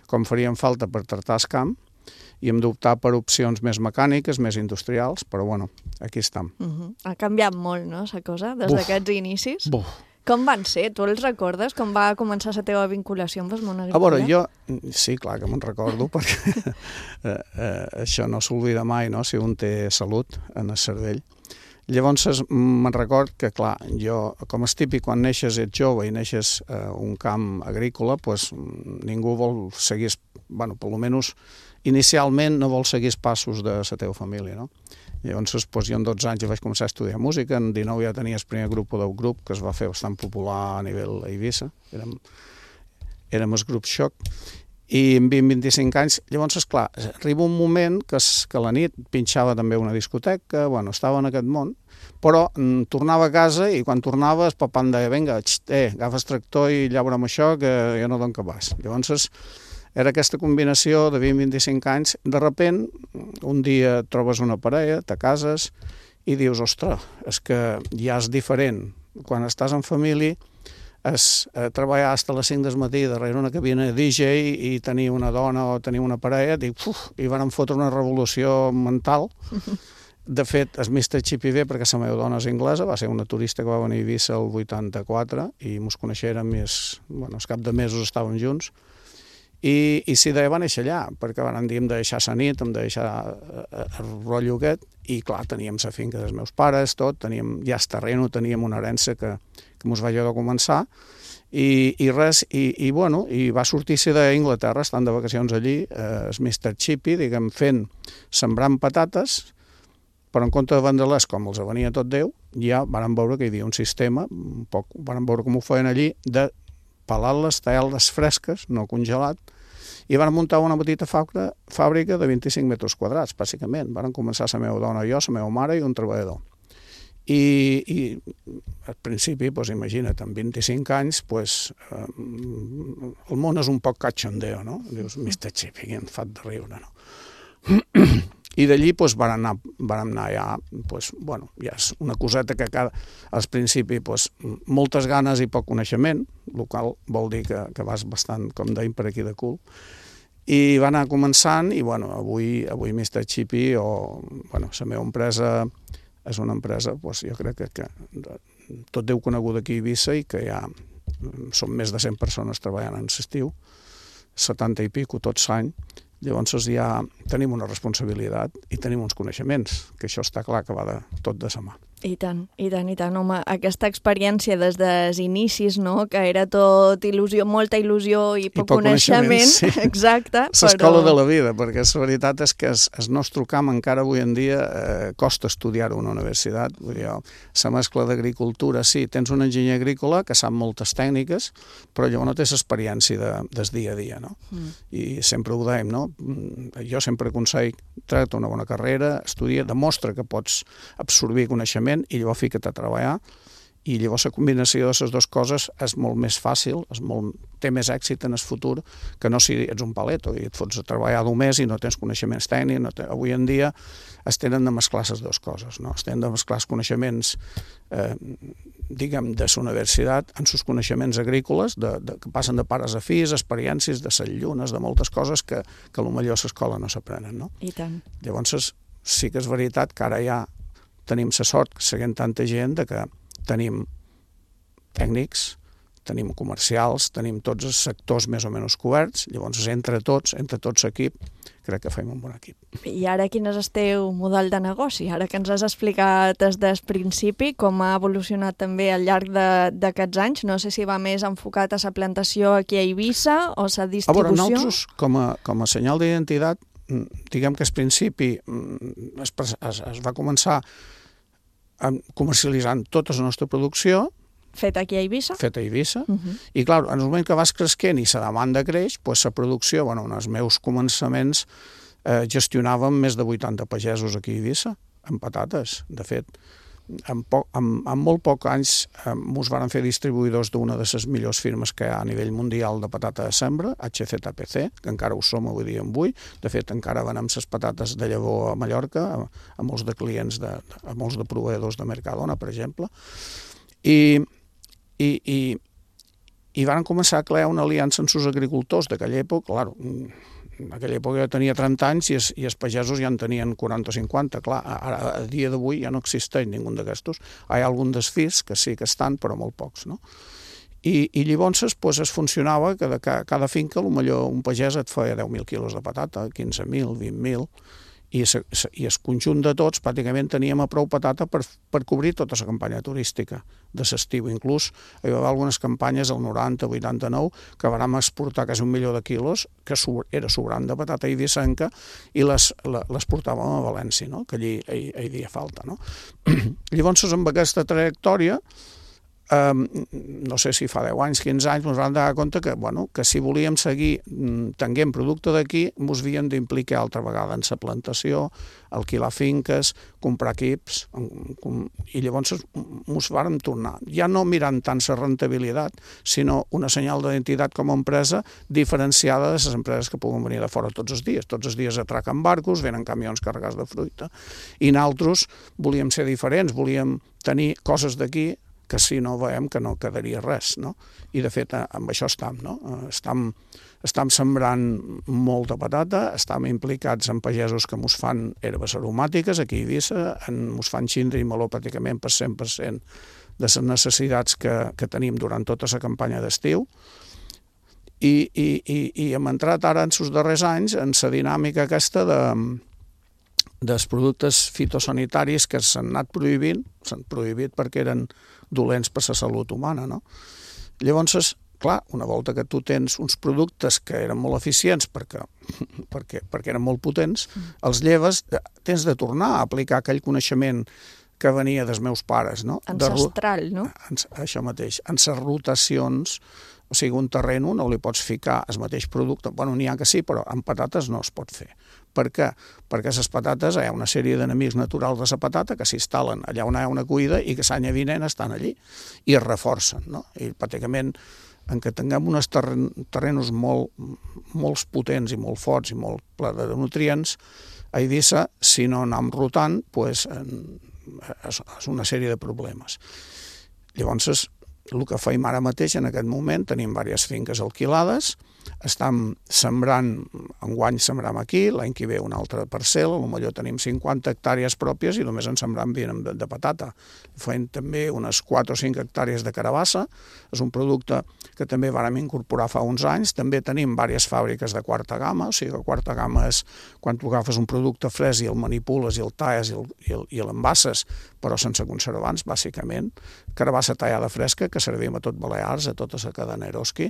com farien falta per tractar el camp, i hem d'optar per opcions més mecàniques, més industrials, però bueno, aquí estem. Uh-huh. Ha canviat molt, no, la cosa, des d'aquests inicis? Buf. Com van ser? Tu els recordes? Com va començar la teva vinculació amb el món agrícola? A veure, jo... Sí, clar que me'n recordo, perquè eh, eh, això no s'oblida mai, no?, si un té salut en el cervell. Llavors me'n record que, clar, jo, com és típic, quan neixes ets jove i neixes a eh, un camp agrícola, pues, ningú vol seguir, bueno, per almenys inicialment no vol seguir els passos de la teva família, no? Llavors, doncs, jo en dotze anys ja vaig començar a estudiar música, en dinou ja tenia el primer grup del grup, que es va fer bastant popular a nivell Eivissa, érem, érem el grup Xoc, i en vint a vint-i-cinc anys, llavors, esclar, arriba un moment que, es, que a la nit pinxava també una discoteca, bueno, estava en aquest món, però mm, tornava a casa i quan tornava el papà em deia, vinga, eh, agafes tractor i llaura'm això, que jo no dono cabàs. Llavors, era aquesta combinació de vint a vint-i-cinc anys, de repent, un dia trobes una parella, te cases i dius, ostres, és que ja és diferent. Quan estàs en família, és eh, treballar fins a les cinc del matí darrere una cabina de D J i tenir una dona o tenir una parella, dic, uf, i van fotre una revolució mental. De fet, el mister Chippy ve perquè la meva dona és anglesa, va ser una turista que va venir a Eivissa el vuitanta-quatre i mos coneixérem i es, bueno, al cap de mesos estàvem junts. I, i sí, va néixer allà, perquè van dir, hem de deixar la nit, hem de deixar el rotllo aquest, i clar, teníem la finca dels meus pares, tot, teníem ja el terreno, teníem una herència que, que mos va ajudar a començar, i, i res, i, i bueno, i va sortir-se d'Inglaterra, estant de vacacions allí, eh, el mister Chippy, diguem, fent, sembrant patates, però en compte de vendre-les com els venia tot Déu, ja van veure que hi havia un sistema, un poc, van veure com ho feien allí, de pelar-les, tallar-les fresques, no congelat, i van muntar una petita fàbrica, fàbrica de vint-i-cinc metres quadrats, bàsicament. Van començar la meva dona i jo, la meva mare i un treballador. I, i al principi, doncs, imagina't, amb vint-i-cinc anys, doncs, eh, el món és un poc cachondeo, no? Dius, mister Chippy, em fa de riure, no? I d'allí doncs, vam anar, vam anar ja, doncs, bueno, ja és una coseta que cada, al principi doncs, moltes ganes i poc coneixement, el qual vol dir que, que vas bastant, com deim, per aquí de cul. I va anar començant i bueno, avui, avui mister Chippy, o bueno, la meva empresa és una empresa, doncs, jo crec que, que tot Déu conegut aquí a Eivissa i que ja són més de cent persones treballant en l'estiu, setanta i pico tots l'any. Llavors ja tenim una responsabilitat i tenim uns coneixements, que això està clar que va de, tot de sa mà. I tant, i tant, i tant, home, aquesta experiència des dels inicis, no?, que era tot il·lusió, molta il·lusió i poc, I poc coneixement, coneixement sí. Exacte. L'escola però... de la vida, perquè la veritat és que el nostre camp encara avui en dia eh, costa estudiar-ho a una universitat. Vull dir, la mescla d'agricultura, sí, tens un enginyer agrícola que sap moltes tècniques, però llavors no tens experiència de, des dia a dia, no? Mm. I sempre ho dèiem, no? Jo sempre aconsello, tracta una bona carrera, estudia, demostra que pots absorbir coneixement i llavors fica't a treballar, i llavors la combinació de les dues coses és molt més fàcil, és molt, té més èxit en el futur que no si ets un paleto i et fots a treballar només i no tens coneixements tècnics. No ten... Avui en dia es tenen de mesclar les dues coses, no? Es tenen de mesclar els coneixements eh, diguem, de la universitat en els coneixements agrícoles, de, de, que passen de pares a fills, experiències, de les llunes, de moltes coses que, que potser a l'escola no s'aprenen, no? I tant. Llavors sí que és veritat que ara ja tenim la sort, seguint tanta gent, de que tenim tècnics, tenim comercials, tenim tots els sectors més o menys coberts, llavors entre tots, entre tots l'equip, crec que fem un bon equip. I ara quin és el teu model de negoci? Ara que ens has explicat des del principi com ha evolucionat també al llarg d'aquests anys, no sé si va més enfocat a la plantació aquí a Eivissa o la distribució? A veure, nosaltres, com a, com a senyal d'identitat, diguem que al principi es, es, es va començar comercialitzant tota la nostra producció, Feta aquí a Eivissa? Feta a Eivissa. Uh -huh. I, clar, en el moment que vas creixent i la demanda creix, doncs la producció, bueno, en els meus començaments eh, gestionàvem més de vuitanta pagesos aquí a Eivissa, amb patates. De fet, en, poc, en, en molt pocs anys eh, ens van fer distribuïdors d'una de les millors firmes que hi ha a nivell mundial de patata de sembra, H Z P C, que encara ho som avui dia en avui. De fet, encara venem les patates de llavor a Mallorca, a, a molts de clients, de, a molts de proveïdors de Mercadona, per exemple. I I, i, i van començar a crear una aliança amb els agricultors d'aquella època. Clar, en aquella època jo tenia trenta anys i els, i els pagesos ja en tenien quaranta o cinquanta. Clar, ara, a dia d'avui ja no existeix ningú d'aquestos. Hi ha algun dels fills que sí que estan, però molt pocs, no? I, i llavors pues, es funcionava que de cada, cada finca, potser un pagès et feia deu mil quilos de patata, quinze mil, vint mil, i, se, se, i el conjunt de tots pràcticament teníem a prou patata per, per cobrir tota la campanya turística de l'estiu. Inclús hi va haver algunes campanyes al noranta, vuitanta-nou que vam exportar quasi un milió de quilos, que era sobrant de patata eivissenca, i les, les portàvem a València, no? Que allí hi, hi havia falta, no? Llavors, amb aquesta trajectòria, Um, no sé si fa deu anys, quinze anys, ens vam donar compte que, bueno, que si volíem seguir tenint producte d'aquí, ens havíem d'implicar altra vegada en la plantació, alquilar finques, comprar equips, i llavors ens vàrem tornar, ja no mirant tant la rentabilitat, sinó una senyal d'identitat com a empresa diferenciada de les empreses que puguen venir de fora tots els dies. Tots els dies atraquen barcos, venen camions carregats de fruita, i nosaltres volíem ser diferents, volíem tenir coses d'aquí que si no veiem que no quedaria res, no? I de fet amb això estam, no? Estam, estam sembrant molta patata, estam implicats en pagesos que mos fan herbes aromàtiques aquí a Eivissa, mos fan xindri i meló pràcticament per cent per cent de les necessitats que, que tenim durant tota la campanya d'estiu, i, i, i, i hem entrat ara en els darrers anys en la dinàmica aquesta de dels productes fitosanitaris que s'han anat prohibint, s'han prohibit perquè eren dolents per la salut humana, no? Llavors, clar, una volta que tu tens uns productes que eren molt eficients perquè, perquè, perquè eren molt potents, els lleves, tens de tornar a aplicar aquell coneixement que venia dels meus pares, no? Ancestral, no? Això mateix. En les rotacions, o sigui, un terreno no li pots ficar el mateix producte. Bueno, n'hi ha que sí, però amb patates no es pot fer. Per què? Perquè les patates, hi ha una sèrie d'enemics naturals de la patata que s'instal·len allà on hi ha una cuida i que l'any vinent estan allí i es reforcen, no? I pràcticament, en què tinguem uns terren, terrenos molt, molt potents i molt forts i molt plens de nutrients, A Eivissa, si no anem rotant, pues, és, és una sèrie de problemes. Llavors, el que feim ara mateix, en aquest moment, tenim diverses finques alquilades, estem sembrant, enguany sembrem aquí, l'any que ve una altra parcel·la, potser tenim cinquanta hectàrees pròpies i només en sembrem vint de, de patata. Fem també unes quatre o cinc hectàrees de carabassa, és un producte que també vàrem incorporar fa uns anys. També tenim diverses fàbriques de quarta gamma, o sigui que quarta gamma és quan tu agafes un producte fresc i el manipules i el talles i l'envases, però sense conservants, bàsicament. Carabassa tallada fresca, que servim a tot Balears, a tota la cadena Eroski,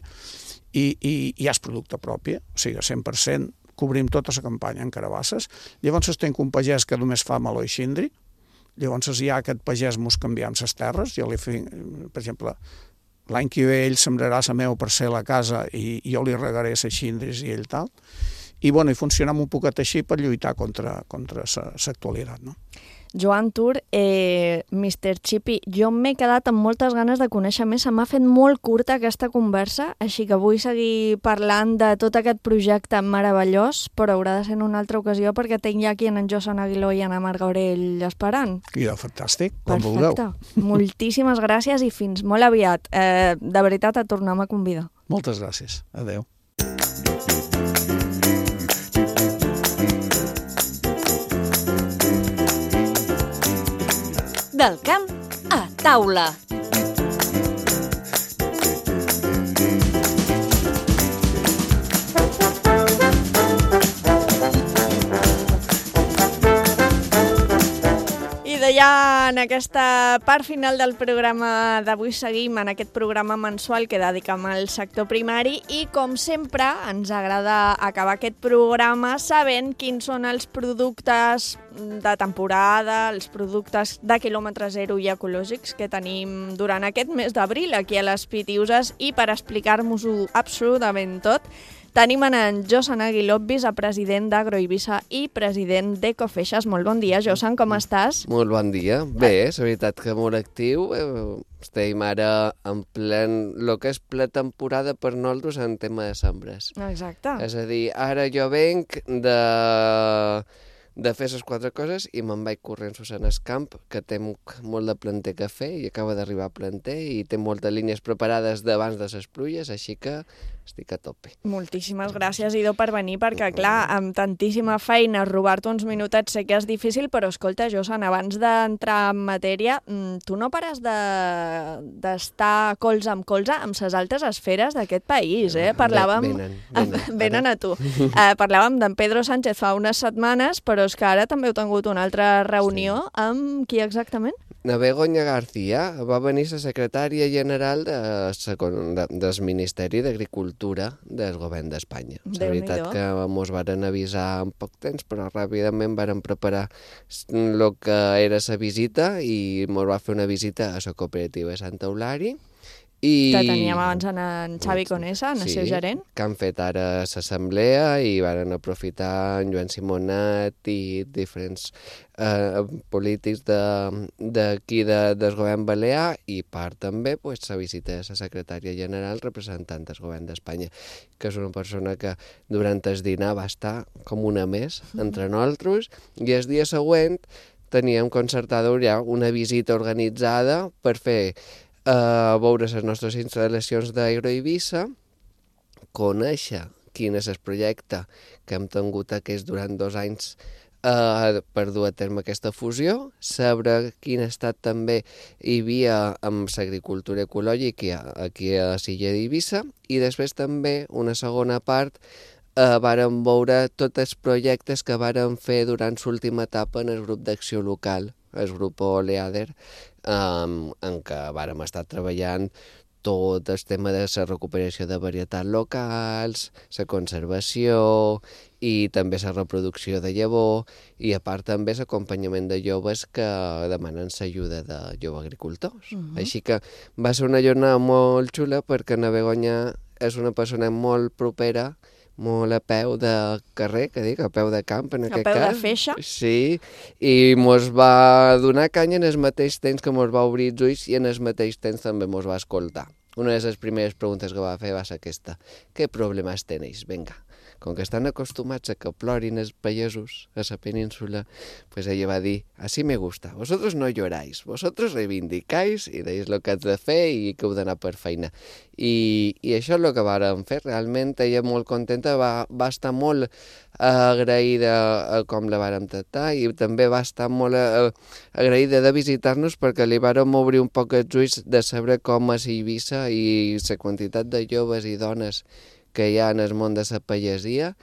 i, i, i és producte propi, o sigui, cent per cent cobrim tota la campanya en carabasses. Llavors tenc un pagès que només fa meló i xindri, llavors hi ha aquest pagès mos canviem les terres, jo li fi, per exemple, l'any que ve ell sembrarà la meva parcel·la a casa i, i jo li regaré les xindris i ell tal, i, bueno, i funcionem un poquet així per lluitar contra, contra l'actualitat, no? Joan Tur, eh, mister Chippy, jo m'he quedat amb moltes ganes de conèixer més, se m'ha fet molt curta aquesta conversa, així que vull seguir parlant de tot aquest projecte meravellós, però haurà de ser en una altra ocasió perquè tinc ja aquí en Josan Aguiló i en Marc Gaurell esperant. Ja, fantàstic, quan vulgueu. Perfecte, moltíssimes gràcies i fins molt aviat. Eh, de veritat, et tornem a convidar. Moltes gràcies, adeu. Del camp a taula. Ja en aquesta part final del programa d'avui seguim en aquest programa mensual que dediquem al sector primari i, com sempre, ens agrada acabar aquest programa sabent quins són els productes de temporada, els productes de quilòmetre zero i ecològics que tenim durant aquest mes d'abril aquí a les Pitiuses, i per explicar-nos-ho absolutament tot tenim en Josan Aguiló, vicepresident d'Agroeivissa i president d'Ecofeixes. Molt bon dia, Josan, com estàs? Molt bon dia. Bé, és veritat que molt actiu. Estem ara en plen, el que és ple temporada per nosaltres en tema de sembres. Exacte. És a dir, ara jo venc de, de fer les quatre coses i me'n vaig corrents en el camp, que té molt de planter que fer i acaba d'arribar a planter i té moltes línies preparades d'abans de les pluies, així que estic a tope. Moltíssimes gràcies, Ido, per venir, perquè, clar, amb tantíssima feina, robar-te uns minutets sé que és difícil, però escolta, Josan, abans d'entrar en matèria, tu no pares d'estar de, colze amb colze amb les altres esferes d'aquest país, eh? Parlàvem... Venen, venen. Venen a tu. Eh, parlàvem d'en Pedro Sánchez fa unes setmanes, però és que ara també heu tingut una altra reunió sí. Amb qui exactament? La Begoña García va venir la secretària general de, de, del Ministeri d'Agricultura del govern d'Espanya. És veritat que mos varen avisar en poc temps, però ràpidament varen preparar el que era la visita i mos va fer una visita a la cooperativa de Sant Eulari. I... Que teníem abans en Xavi Conesa, en el sí, seu gerent. Que han fet ara l'assemblea i varen aprofitar en Joan Simonet i diferents eh, polítics d'aquí de, de, del govern balear, i part també pues, la visita de la secretària general representant del govern d'Espanya, que és una persona que durant el dinar va estar com una més entre nosaltres, i el dia següent teníem concertada ja una visita organitzada per fer a veure les nostres instal·lacions d'Agroeivissa, conèixer quin és el projecte que hem tingut aquests durant dos anys eh, per dur a terme aquesta fusió, saber quin estat també hi havia amb l'agricultura ecològica aquí a l'illa d'Eivissa, i després també una segona part eh, vàrem veure tots els projectes que vàrem fer durant l'última etapa en el grup d'acció local, el grup Oleader, um, en què vàrem estar treballant tot el tema de la recuperació de varietats locals, la conservació i també la reproducció de llavor, i a part també l'acompanyament de joves que demanen l'ajuda de joves agricultors. Uh-huh. Així que va ser una jornada molt xula perquè na Begoña és una persona molt propera, molt a peu de carrer, que dic, a peu de camp en aquest cas. A peu de feixa. Sí, i mos va donar canya en el mateix temps que mos va obrir els ulls i en el mateix temps també mos va escoltar. Una de les primeres preguntes que va fer va ser aquesta. Què problemes tenéis? Vinga, com que estan acostumats a que plorin els pagesos a la península, pues ella va dir, así me gusta, vosotros no lloráis, vosotros reivindicáis i deis el que has de fer i que heu d'anar per feina. I, i això és el que vàrem fer, realment ella molt contenta, va, va estar molt agraïda a com la vàrem tractar i també va estar molt agraïda de visitar-nos perquè li vàrem obrir un poc els ulls de saber com és Eivissa i la quantitat de joves i dones que hi ha en el món de la pagesia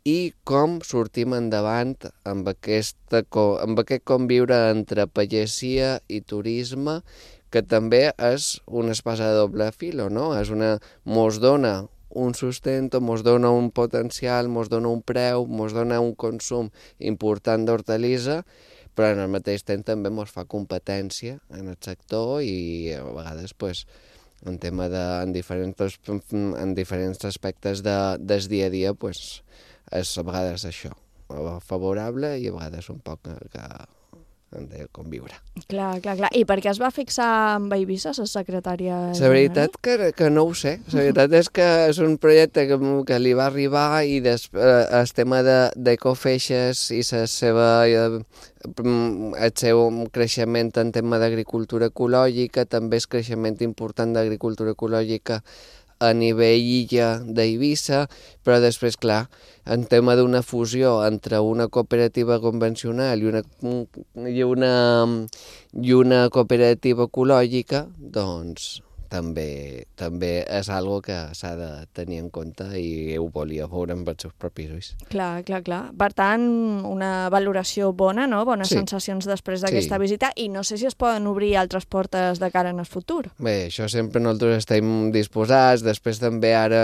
i com sortim endavant amb, aquesta, amb aquest conviure entre pagesia i turisme, que també és una espasa de doble filo, no? És una, mos dona un sustento, mos dona un potencial, mos dona un preu, mos dona un consum important d'hortalissa, però en el mateix temps també mos fa competència en el sector i a vegades pues, en tema de, en, diferents, en diferents aspectes de, del dia a dia pues, és a vegades això, favorable i a vegades un poc que han de conviure. Clar, clar, clar. I per què es va fixar amb Eivissa, la secretària? La veritat que, que no ho sé. La veritat és que és un projecte que, que li va arribar i des, eh, el tema d'Ecofeixes i la seva, eh, el seu creixement en tema d'agricultura ecològica, també és creixement important d'agricultura ecològica a nivell illa d'Eivissa, però després, clar, en tema d'una fusió entre una cooperativa convencional i una, i una, i una cooperativa ecològica, doncs també, també és algo que s'ha de tenir en compte i ho volia veure amb els seus propis ulls. Clar, clar, clar. Per tant, una valoració bona, no? Bones sí. sensacions després d'aquesta sí. visita i no sé si es poden obrir altres portes de cara en el futur. Bé, això sempre nosaltres estem disposats. Després també ara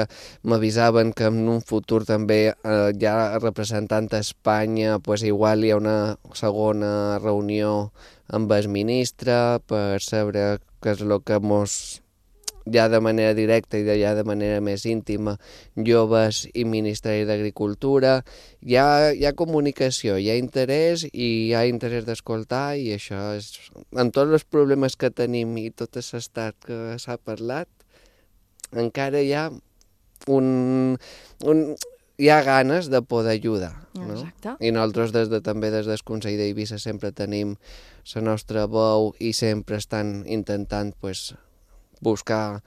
m'avisaven que en un futur també eh, ja representant a Espanya, pues igual hi ha una segona reunió amb el ministre per saber què és el que mos ja de manera directa i ja de manera més íntima, joves i Ministeri d'Agricultura. Hi ha, hi ha comunicació, hi ha interès i hi ha interès d'escoltar i això és... Amb tots els problemes que tenim i tot l'estat que s'ha parlat, encara hi ha un... un hi ha ganes de poder ajudar. No? Exacte. I nosaltres des de, també des del Consell d'Eivissa sempre tenim la nostra veu i sempre estan intentant pues, buscar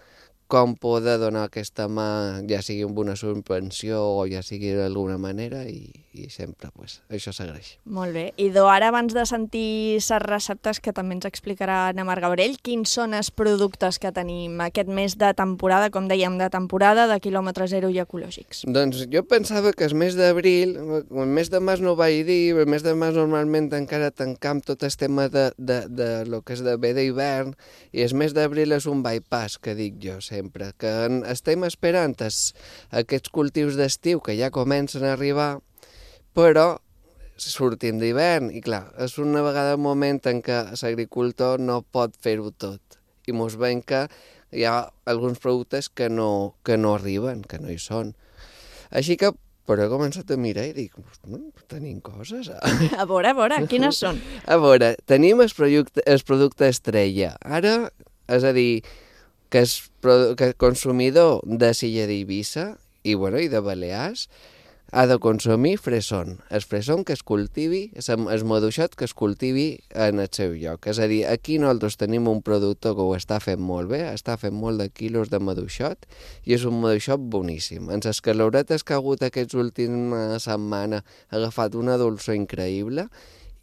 com poder donar aquesta mà, ja sigui amb una subvenció o ja sigui d'alguna manera, i, i sempre pues, això s'agraeix. Molt bé. I do, ara abans de sentir les receptes que també ens explicarà na Mar Gabriel, quins són els productes que tenim aquest mes de temporada, com dèiem, de temporada de quilòmetre zero i ecològics? Doncs jo pensava que el mes d'abril, el mes de març no ho vaig dir, el mes de març normalment encara tancam tot el tema de, de, de lo que és de bé d'hivern, i el mes d'abril és un bypass, que dic jo sempre, que estem esperant es, aquests cultius d'estiu que ja comencen a arribar, però sortim d'hivern i clar, és una vegada un moment en què l'agricultor no pot fer-ho tot i mos veiem que hi ha alguns productes que no, que no arriben, que no hi són. Així que però he començat a mirar i dic, no, tenim coses. A veure, a veure, quines són? A veure, tenim el producte, el producte estrella. Ara, és a dir, que és que consumidor de l'illa d'Eivissa i, bueno, i de Balears ha de consumir fresón. El fresón que es cultivi, el maduixot que es cultivi en el seu lloc. És a dir, aquí nosaltres tenim un productor que ho està fent molt bé, està fent molt de quilos de maduixot i és un maduixot boníssim. En les calauretes que ha hagut aquests últims setmana ha agafat una dolçor increïble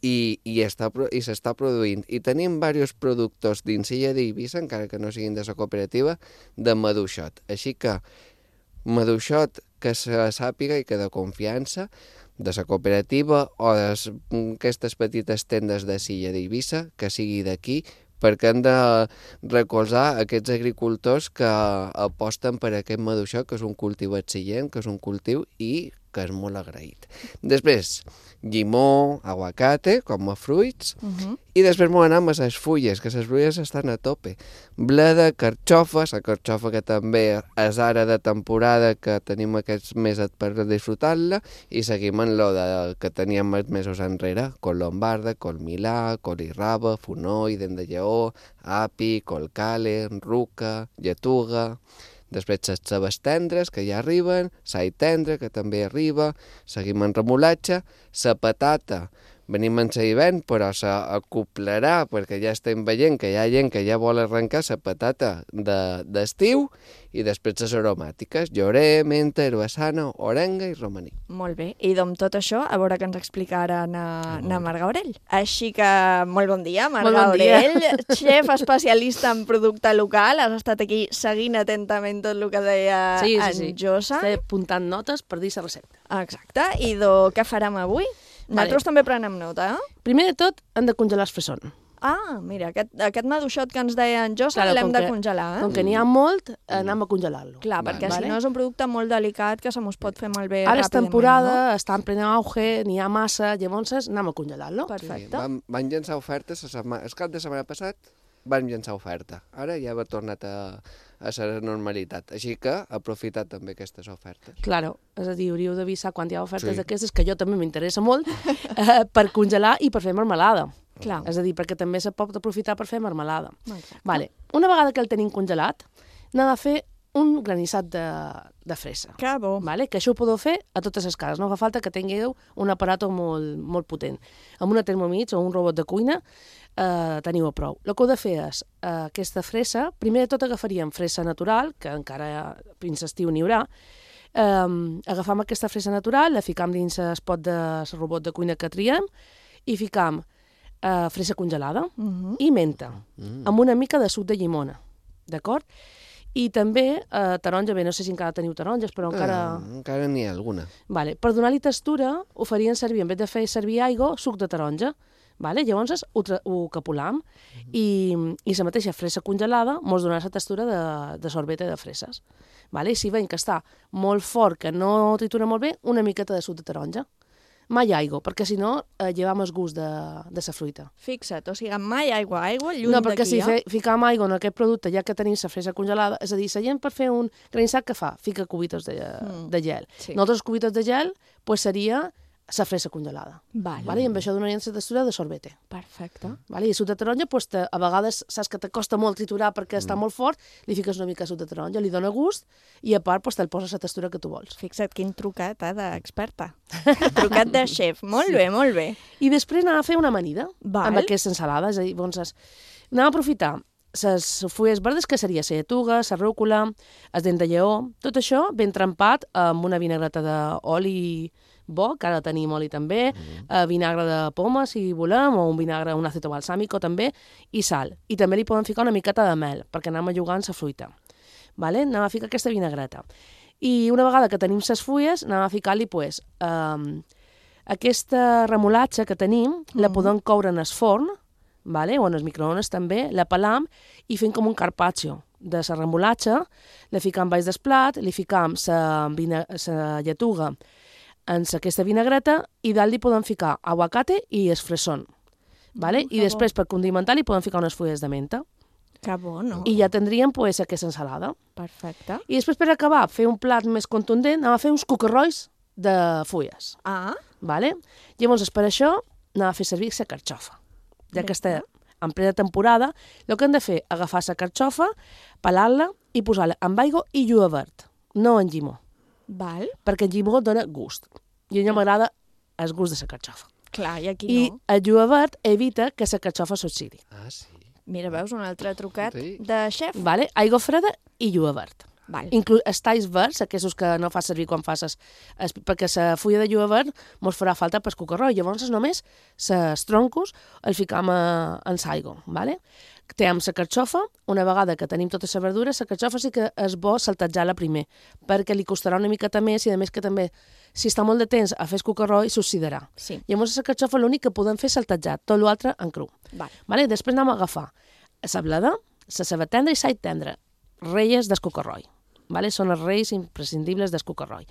i, i, està, i s'està produint. I tenim diversos productors dins l'illa d'Eivissa, encara que no siguin de la cooperativa, de maduixot. Així que maduixot que se sàpiga i que de confiança de la cooperativa o d'aquestes petites tendes de l'illa d'Eivissa, que sigui d'aquí, perquè hem de recolzar aquests agricultors que aposten per aquest maduixot, que és un cultiu excel·lent, que és un cultiu i que és molt agraït. Després, llimó, aguacate, com a fruits, uh-huh. i després m'ho anem a les fulles, que les fulles estan a tope. Bleda, carxofa, la carxofa que també és ara de temporada, que tenim aquests mesos per disfrutar-la, i seguim en lo de, que teníem els mesos enrere, col lombarda, col milà, col irraba, fonoll, dent de lleó, api, col cale, ruca, lletuga... després les cebes tendres, que ja arriben, l'all tendre, que també arriba, seguim en remolatge, la patata, venim en l'hivern, però s'acoplarà, perquè ja estem veient que hi ha gent que ja vol arrencar la patata d'estiu, i després les aromàtiques, llorer, menta, herbassana, orenga i romaní. Molt bé, i amb tot això, a veure què ens explica ara na, na Marga Aurell. Així que, molt bon dia, Marga bon dia. Aurell, xef especialista en producte local, has estat aquí seguint atentament tot el que deia sí, sí, en sí. Josa. Estic apuntant notes per dir la recepta. Exacte, i do, què farem avui? Nosaltres Vale. també prenem nota, eh? Primer de tot, hem de congelar el fresson. Ah, mira, aquest, aquest maduixot que ens deia en Josa Claro, l'hem com de que- congelar, eh? Com que n'hi ha molt, anem a congelar-lo. Clar, perquè Vale. si no és un producte molt delicat que se mos pot fer malbé Ara és ràpidament, temporada, no? està en plena auge, n'hi ha massa, llavors anem a congelar-lo. Perfecte. Vam, van llançar ofertes, la setmana, el cap de setmana passat van llançar oferta. Ara ja ha tornat a, a ser normalitat. Així que aprofitar també aquestes ofertes. Claro, és a dir, hauríeu d'avisar quan hi ha ofertes Sí. d'aquestes, que jo també m'interessa molt, eh, per congelar i per fer marmelada. Clar. És a dir, perquè també se pot aprofitar per fer marmelada. Exacte. Vale. Una vegada que el tenim congelat, n'ha de fer un granissat de, de fresa. Que bo. Vale? Que això ho podeu fer a totes les cases, no fa falta que tingueu un aparato molt, molt potent. Amb una Thermomix o un robot de cuina eh, teniu a prou. El que heu de fer és eh, aquesta fresa, primer de tot agafaríem fresa natural, que encara fins estiu n'hi haurà, eh, agafam aquesta fresa natural, la ficam dins el pot del robot de cuina que triem i ficam eh, fresa congelada Uh -huh. i menta, Mm. amb una mica de suc de llimona, d'acord? I també eh, taronja, bé, no sé si encara teniu taronges, però encara... Eh, encara n'hi ha alguna. Vale. Per donar-li textura, ho farien servir, en vez de fer servir aigua, suc de taronja. Vale? Llavors ho, tra- ho capolam i, i la mateixa fresa congelada mos donarà la textura de, de sorbete de freses. Vale? I si veiem que està molt fort, que no tritura molt bé, una miqueta de suc de taronja. Mai aigua, perquè si no eh, llevam el gust de, de la fruita. Fixa't, o sigui, mai aigua, aigua, lluny No, d'aquí, perquè si eh? fe, ficam aigua en aquest producte, ja que tenim la fresa congelada, és a dir, la gent per fer un granissat que fa? Fica cubitos de, Mm. de gel. Sí. Nosaltres cubitos de gel pues, seria la fresa congelada. Vale. Vale? I amb això donaríem la textura de sorbete. Perfecte. Vale? I el suc de taronja, pues, te, a vegades saps que te costa molt triturar perquè està molt fort, li fiques una mica de suc de taronja, li dona gust i a part pues, te'l poses la textura que tu vols. Fixa't, quin trucat, eh, d'experta. Trucat de xef. Molt bé, molt bé. I després anem a fer una amanida Val. amb aquesta ensalada. És a dir, doncs, anem a aprofitar les fulles verdes, que seria la lletuga, la rúcula, el dent de lleó, tot això ben trempat amb una vinagreta d'oli bo, que ara tenim oli també, mm. eh, vinagre de poma, si volem, o un vinagre, un aceto balsàmico també, i sal. I també li podem ficar una miqueta de mel, perquè anem a jugar amb la fruita. Vale? Anem a ficar aquesta vinagreta. I una vegada que tenim les fulles, anem a ficar-li, pues, eh, aquesta remolatxa que tenim, mm. la podem coure en el forn, vale? O en els microones també, la pelam i fem com un carpaccio de la remolatxa, la ficam baix del plat, li ficam la lletuga en aquesta vinagreta i dalt li podem ficar aguacate i el fresón. Vale? Mm, I que després, per condimentar, li podem ficar unes fulles de menta. Que bo, no? I ja tindríem pues, aquesta ensalada. Perfecte. I després, per acabar, fer un plat més contundent, anem a fer uns cucarrois de fulles. Ah, Vale? Llavors, per això, anem a fer servir la carxofa. Ja que està en plena temporada, el que hem de fer és agafar la carxofa, pelar-la i posar-la amb aigua i julivert, no en llimó, val. perquè el llimó dona gust. I a mi m'agrada el gust de la carxofa. Clar, i aquí I no. el julivert evita que la carxofa s'oxidi. Ah, sí. Mira, veus, un altre trucat Sí. de xef. Vale? Aigua freda i julivert. Val. Inclús els talls verds, aquests que no fas servir quan fas es, es, perquè la fulla de julivert mos farà falta per cucarroi. Llavors només els troncos els ficam a, en l'aigua. Vale? Tenim la carxofa, una vegada que tenim tota la verdura, la carxofa sí que és bo saltejar-la primer, perquè li costarà una miqueta més i a més que també, si està molt de temps a fer el cucarroi, s'oxidarà. Sí. Llavors la carxofa l'únic que podem fer és saltejar, tot l'altre en cru. Val. Vale? Després anem a agafar la bleda, la ceba tendra i l'all tendre, reies del cucarroi. Vale? Són els reis imprescindibles del cucarroi.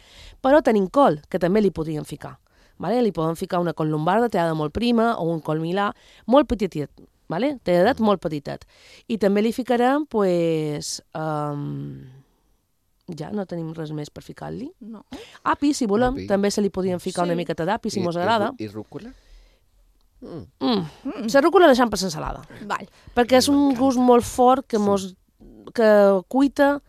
Però tenim col, que també li podríem ficar. Vale? Li podem ficar una col lombarda tallada molt prima o un col milà molt petitet, vale? Talladet molt petitet. I també li ficarem, pues, um, ja no tenim res més per ficar-li. No. Api, si volem, Api. també se li podríem ficar Sí. una miqueta d'api, si I- mos i agrada. rú- I rúcula? Mm. Mm. Mm. La rúcula la deixem per l'ensalada, Val. perquè és un gust molt fort que, mos, que cuita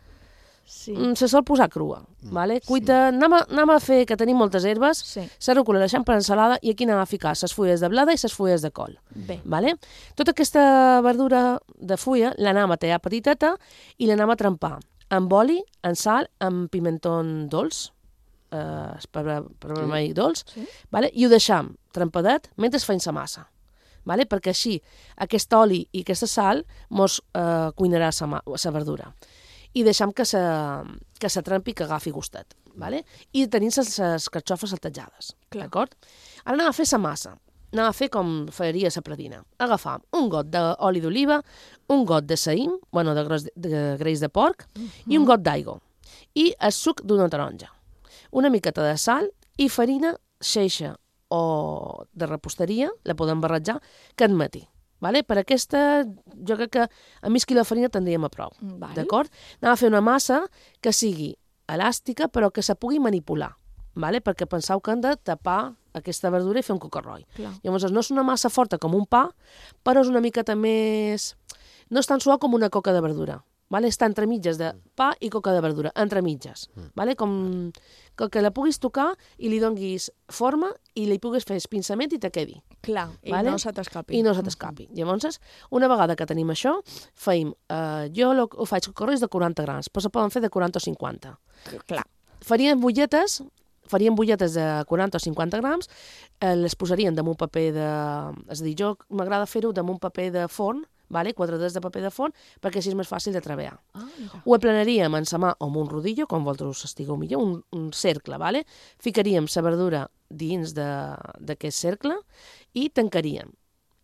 Sí. se sol posar crua. Vale? Cuita, sí. anem, a, anem a fer, que tenim moltes herbes, Sí. la rúcula la deixem per ensalada i aquí anem a ficar les fulles de blada i les fulles de col. Bé. Vale? Tota aquesta verdura de fulla l'anem a tallar petiteta i l'anem a trempar amb oli, amb sal, amb pimentó dolç, eh, per, per vermell dolç, Sí. vale? I ho deixam trempadet mentre feim la massa. Vale? Perquè així aquest oli i aquesta sal mos eh, cuinarà la verdura. I deixam que se, que se trempi i que agafi gustet. Vale? I tenim les carxofes saltejades. D'acord? Ara anem a fer la massa. Anem a fer com faria la pradina. Agafam un got d'oli d'oliva, un got de saïm, bueno, de, gros, de greix de porc, uh -huh. i un got d'aigua. I el suc d'una taronja. Una miqueta de sal i farina xeixa o de reposteria, la podem barrejar, que admeti. Vale? Per aquesta, jo crec que a mig quilo de farina tindríem a prou. Vale. D'acord? Anem a fer una massa que sigui elàstica, però que se pugui manipular. Vale? Perquè penseu que hem de tapar aquesta verdura i fer un cocarroi. Clar. Llavors, no és una massa forta com un pa, però és una miqueta més... No és tan suau com una coca de verdura. Vale? Està entre mitges de pa i coca de verdura, entre mitges. Vale? Com que la puguis tocar i li donguis forma i li puguis fer espinçament i te quedi. Clar, i vale? no se t'escapi. I no se t'escapi. Mm-hmm. Llavors, una vegada que tenim això, feim... Eh, jo lo, ho faig cocarrois de quaranta grams, però se poden fer de quaranta o cinquanta. Clar. Faríem butlletes, faríem butlletes de quaranta o cinquanta grams, eh, les posaríem damunt paper de... És a dir, jo m'agrada fer-ho damunt paper de forn, vale? Quatre dedos de paper de forn, perquè així és més fàcil de treballar. Ah, ho aplanaríem en sa mà o amb un rodillo, com vosaltres estigueu millor, un, un cercle, vale? Ficaríem la verdura dins d'aquest cercle i tancaríem.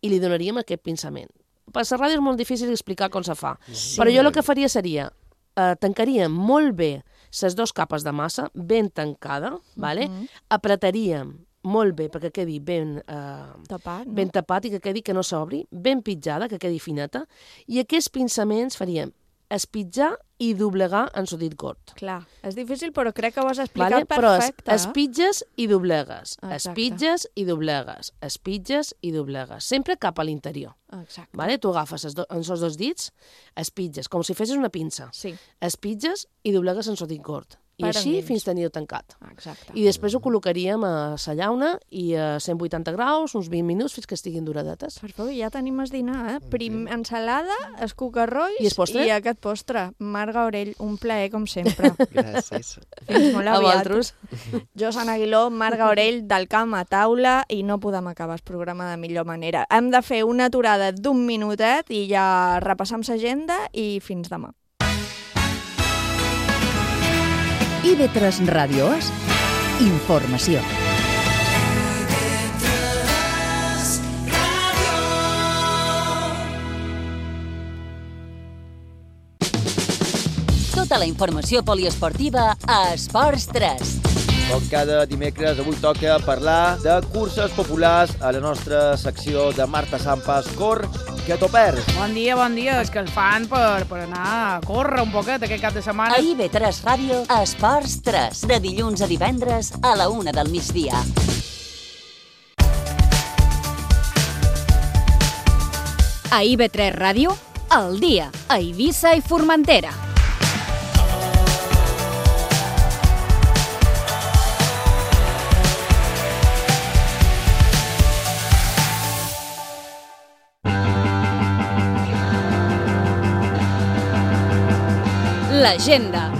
I li donaríem aquest pinçament. Per la ràdio és molt difícil explicar com se fa, sí. Però jo el que faria seria eh, tancaríem molt bé les dues capes de massa, ben tancada, vale? Uh-huh. Apretaríem molt bé perquè quedi ben, eh, tapat, no? ben tapat i que quedi que no s'obri, ben pitjada, que quedi fineta, i aquests pinçaments faríem espitjar i doblegar en sudit gord. Clar, és difícil, però crec que ho has explicat vale? perfecte. Però es, espitges i doblegues, Exacte. espitges i doblegues, espitges i doblegues, sempre cap a l'interior. Exacte. Vale? Tu agafes els, do, els dos dits, espitges, com si fessis una pinça, sí. espitges i doblegues en sudit gord. I Per així endins. fins tenir-ho tancat. Exacte. I després ho col·locaríem a la llauna i a cent vuitanta graus, uns vint minuts, fins que estiguin duradetes. Perfecte, ja tenim el dinar, eh? Prim, ensalada, els cucarrois I, i aquest postre. Marga Orell, un plaer, com sempre. Gràcies. Fins molt A aviat. vosaltres. Jo, Sant Aguiló, Marga Orell, del camp a taula, i no podem acabar el programa de millor manera. Hem de fer una aturada d'un minutet i ja repassam l'agenda i fins demà. I V tres Ràdio És informació. Tota la informació poliesportiva a Esports tres. Com cada dimecres, avui toca parlar de curses populars a la nostra secció de Marta Sampas Cor, que t'ho perds. Bon dia, bon dia. És que el fan per, per anar a córrer un poquet aquest cap de setmana. A I V tres Ràdio, Esports tres, de dilluns a divendres a la una del migdia. A I V tres Ràdio, al dia, a Eivissa i Formentera. L'agenda.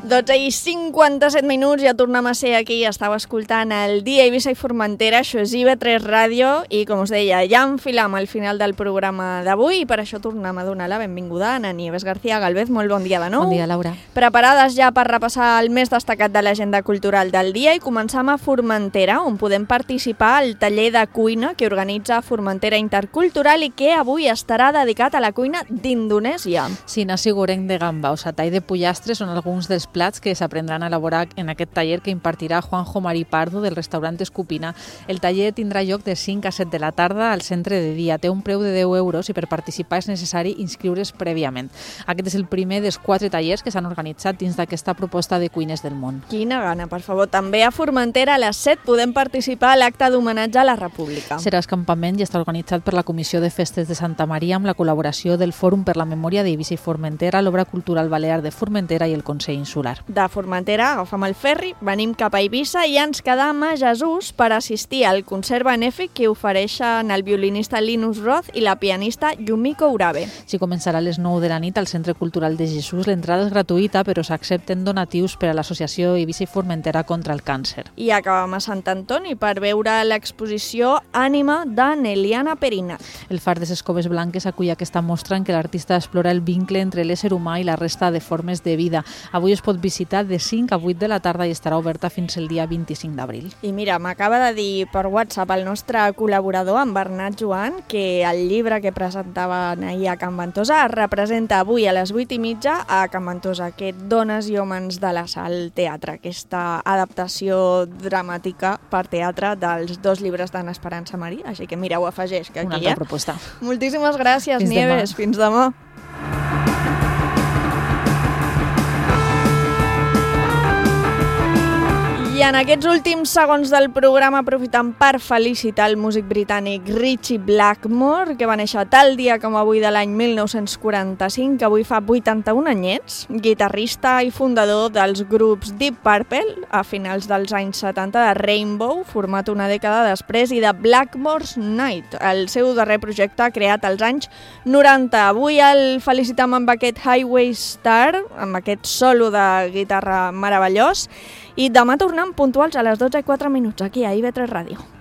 dotze i cinquanta-set minuts, ja tornem a ser aquí, estava escoltant el dia Eivissa i Formentera, això és I V tres Ràdio, i com us deia, ja enfilam al final del programa d'avui, i per això tornem a donar la benvinguda a Ana Nieves García Galvez. Molt bon dia de nou. Bon dia, Laura. Preparades ja per repassar el més destacat de l'agenda cultural del dia, i començam a Formentera, on podem participar al taller de cuina que organitza Formentera Intercultural i que avui estarà dedicat a la cuina d'Indonèsia. Sí, nasi goreng de gamba o satay de pollastre són alguns dels plats plats que s'aprendran a elaborar en aquest taller que impartirà Juanjo Mari Pardo del restaurant Escupina. El taller tindrà lloc de cinc a set de la tarda al centre de dia. Té un preu de deu euros i per participar és necessari inscriure's prèviament. Aquest és el primer dels quatre tallers que s'han organitzat dins d'aquesta proposta de Cuines del Món. Quina gana, per favor. També a Formentera a les set podem participar a l'acte d'homenatge a la República. Serà escampament i estarà organitzat per la Comissió de Festes de Santa Maria amb la col·laboració del Fòrum per la Memòria d'Eivissa i Formentera, l'Obra Cultural Balear de Formentera i el Consell Insular. De Formentera agafam el ferri, venim cap a Eivissa i ens quedam a Jesús per assistir al concert benèfic que ofereixen el violinista Linus Roth i la pianista Yumiko Urabe. Si començarà a les nou de la nit al Centre Cultural de Jesús, l'entrada és gratuïta, però s'accepten donatius per a l'Associació Eivissa i Formentera contra el càncer. I acabam a Sant Antoni per veure l'exposició Ànima de Neliana Perinat. El Far de les Coves Blanques acull aquesta mostra en què l'artista explora el vincle entre l'ésser humà i la resta de formes de vida. Avui es pot visitar de cinc a vuit de la tarda i estarà oberta fins el dia vint-i-cinc d'abril. I mira, m'acaba de dir per WhatsApp el nostre col·laborador, en Bernat Joan, que el llibre que presentaven ahir a Can Ventosa es representa avui a les vuit i mitja a Can Ventosa, que Dones i Homes de la Sal Teatre, aquesta adaptació dramàtica per teatre dels dos llibres d'Anna Esperança Marí. Així que mira, ho afegeix, que aquí Una hi ha. altra proposta. Moltíssimes gràcies, Fins Nieves. demà. Fins demà. I en aquests últims segons del programa aprofitant per felicitar el músic britànic Ritchie Blackmore, que va néixer tal dia com avui de l'any mil nou-cents quaranta-cinc, que avui fa vuitanta-un anyets, guitarrista i fundador dels grups Deep Purple a finals dels anys setanta, de Rainbow, format una dècada després, i de Blackmore's Night, el seu darrer projecte creat als anys noranta. Avui el felicitam amb aquest Highway Star, amb aquest solo de guitarra meravellós, i demà tornem puntuals a les dotze i quatre minuts aquí a I V tres Ràdio.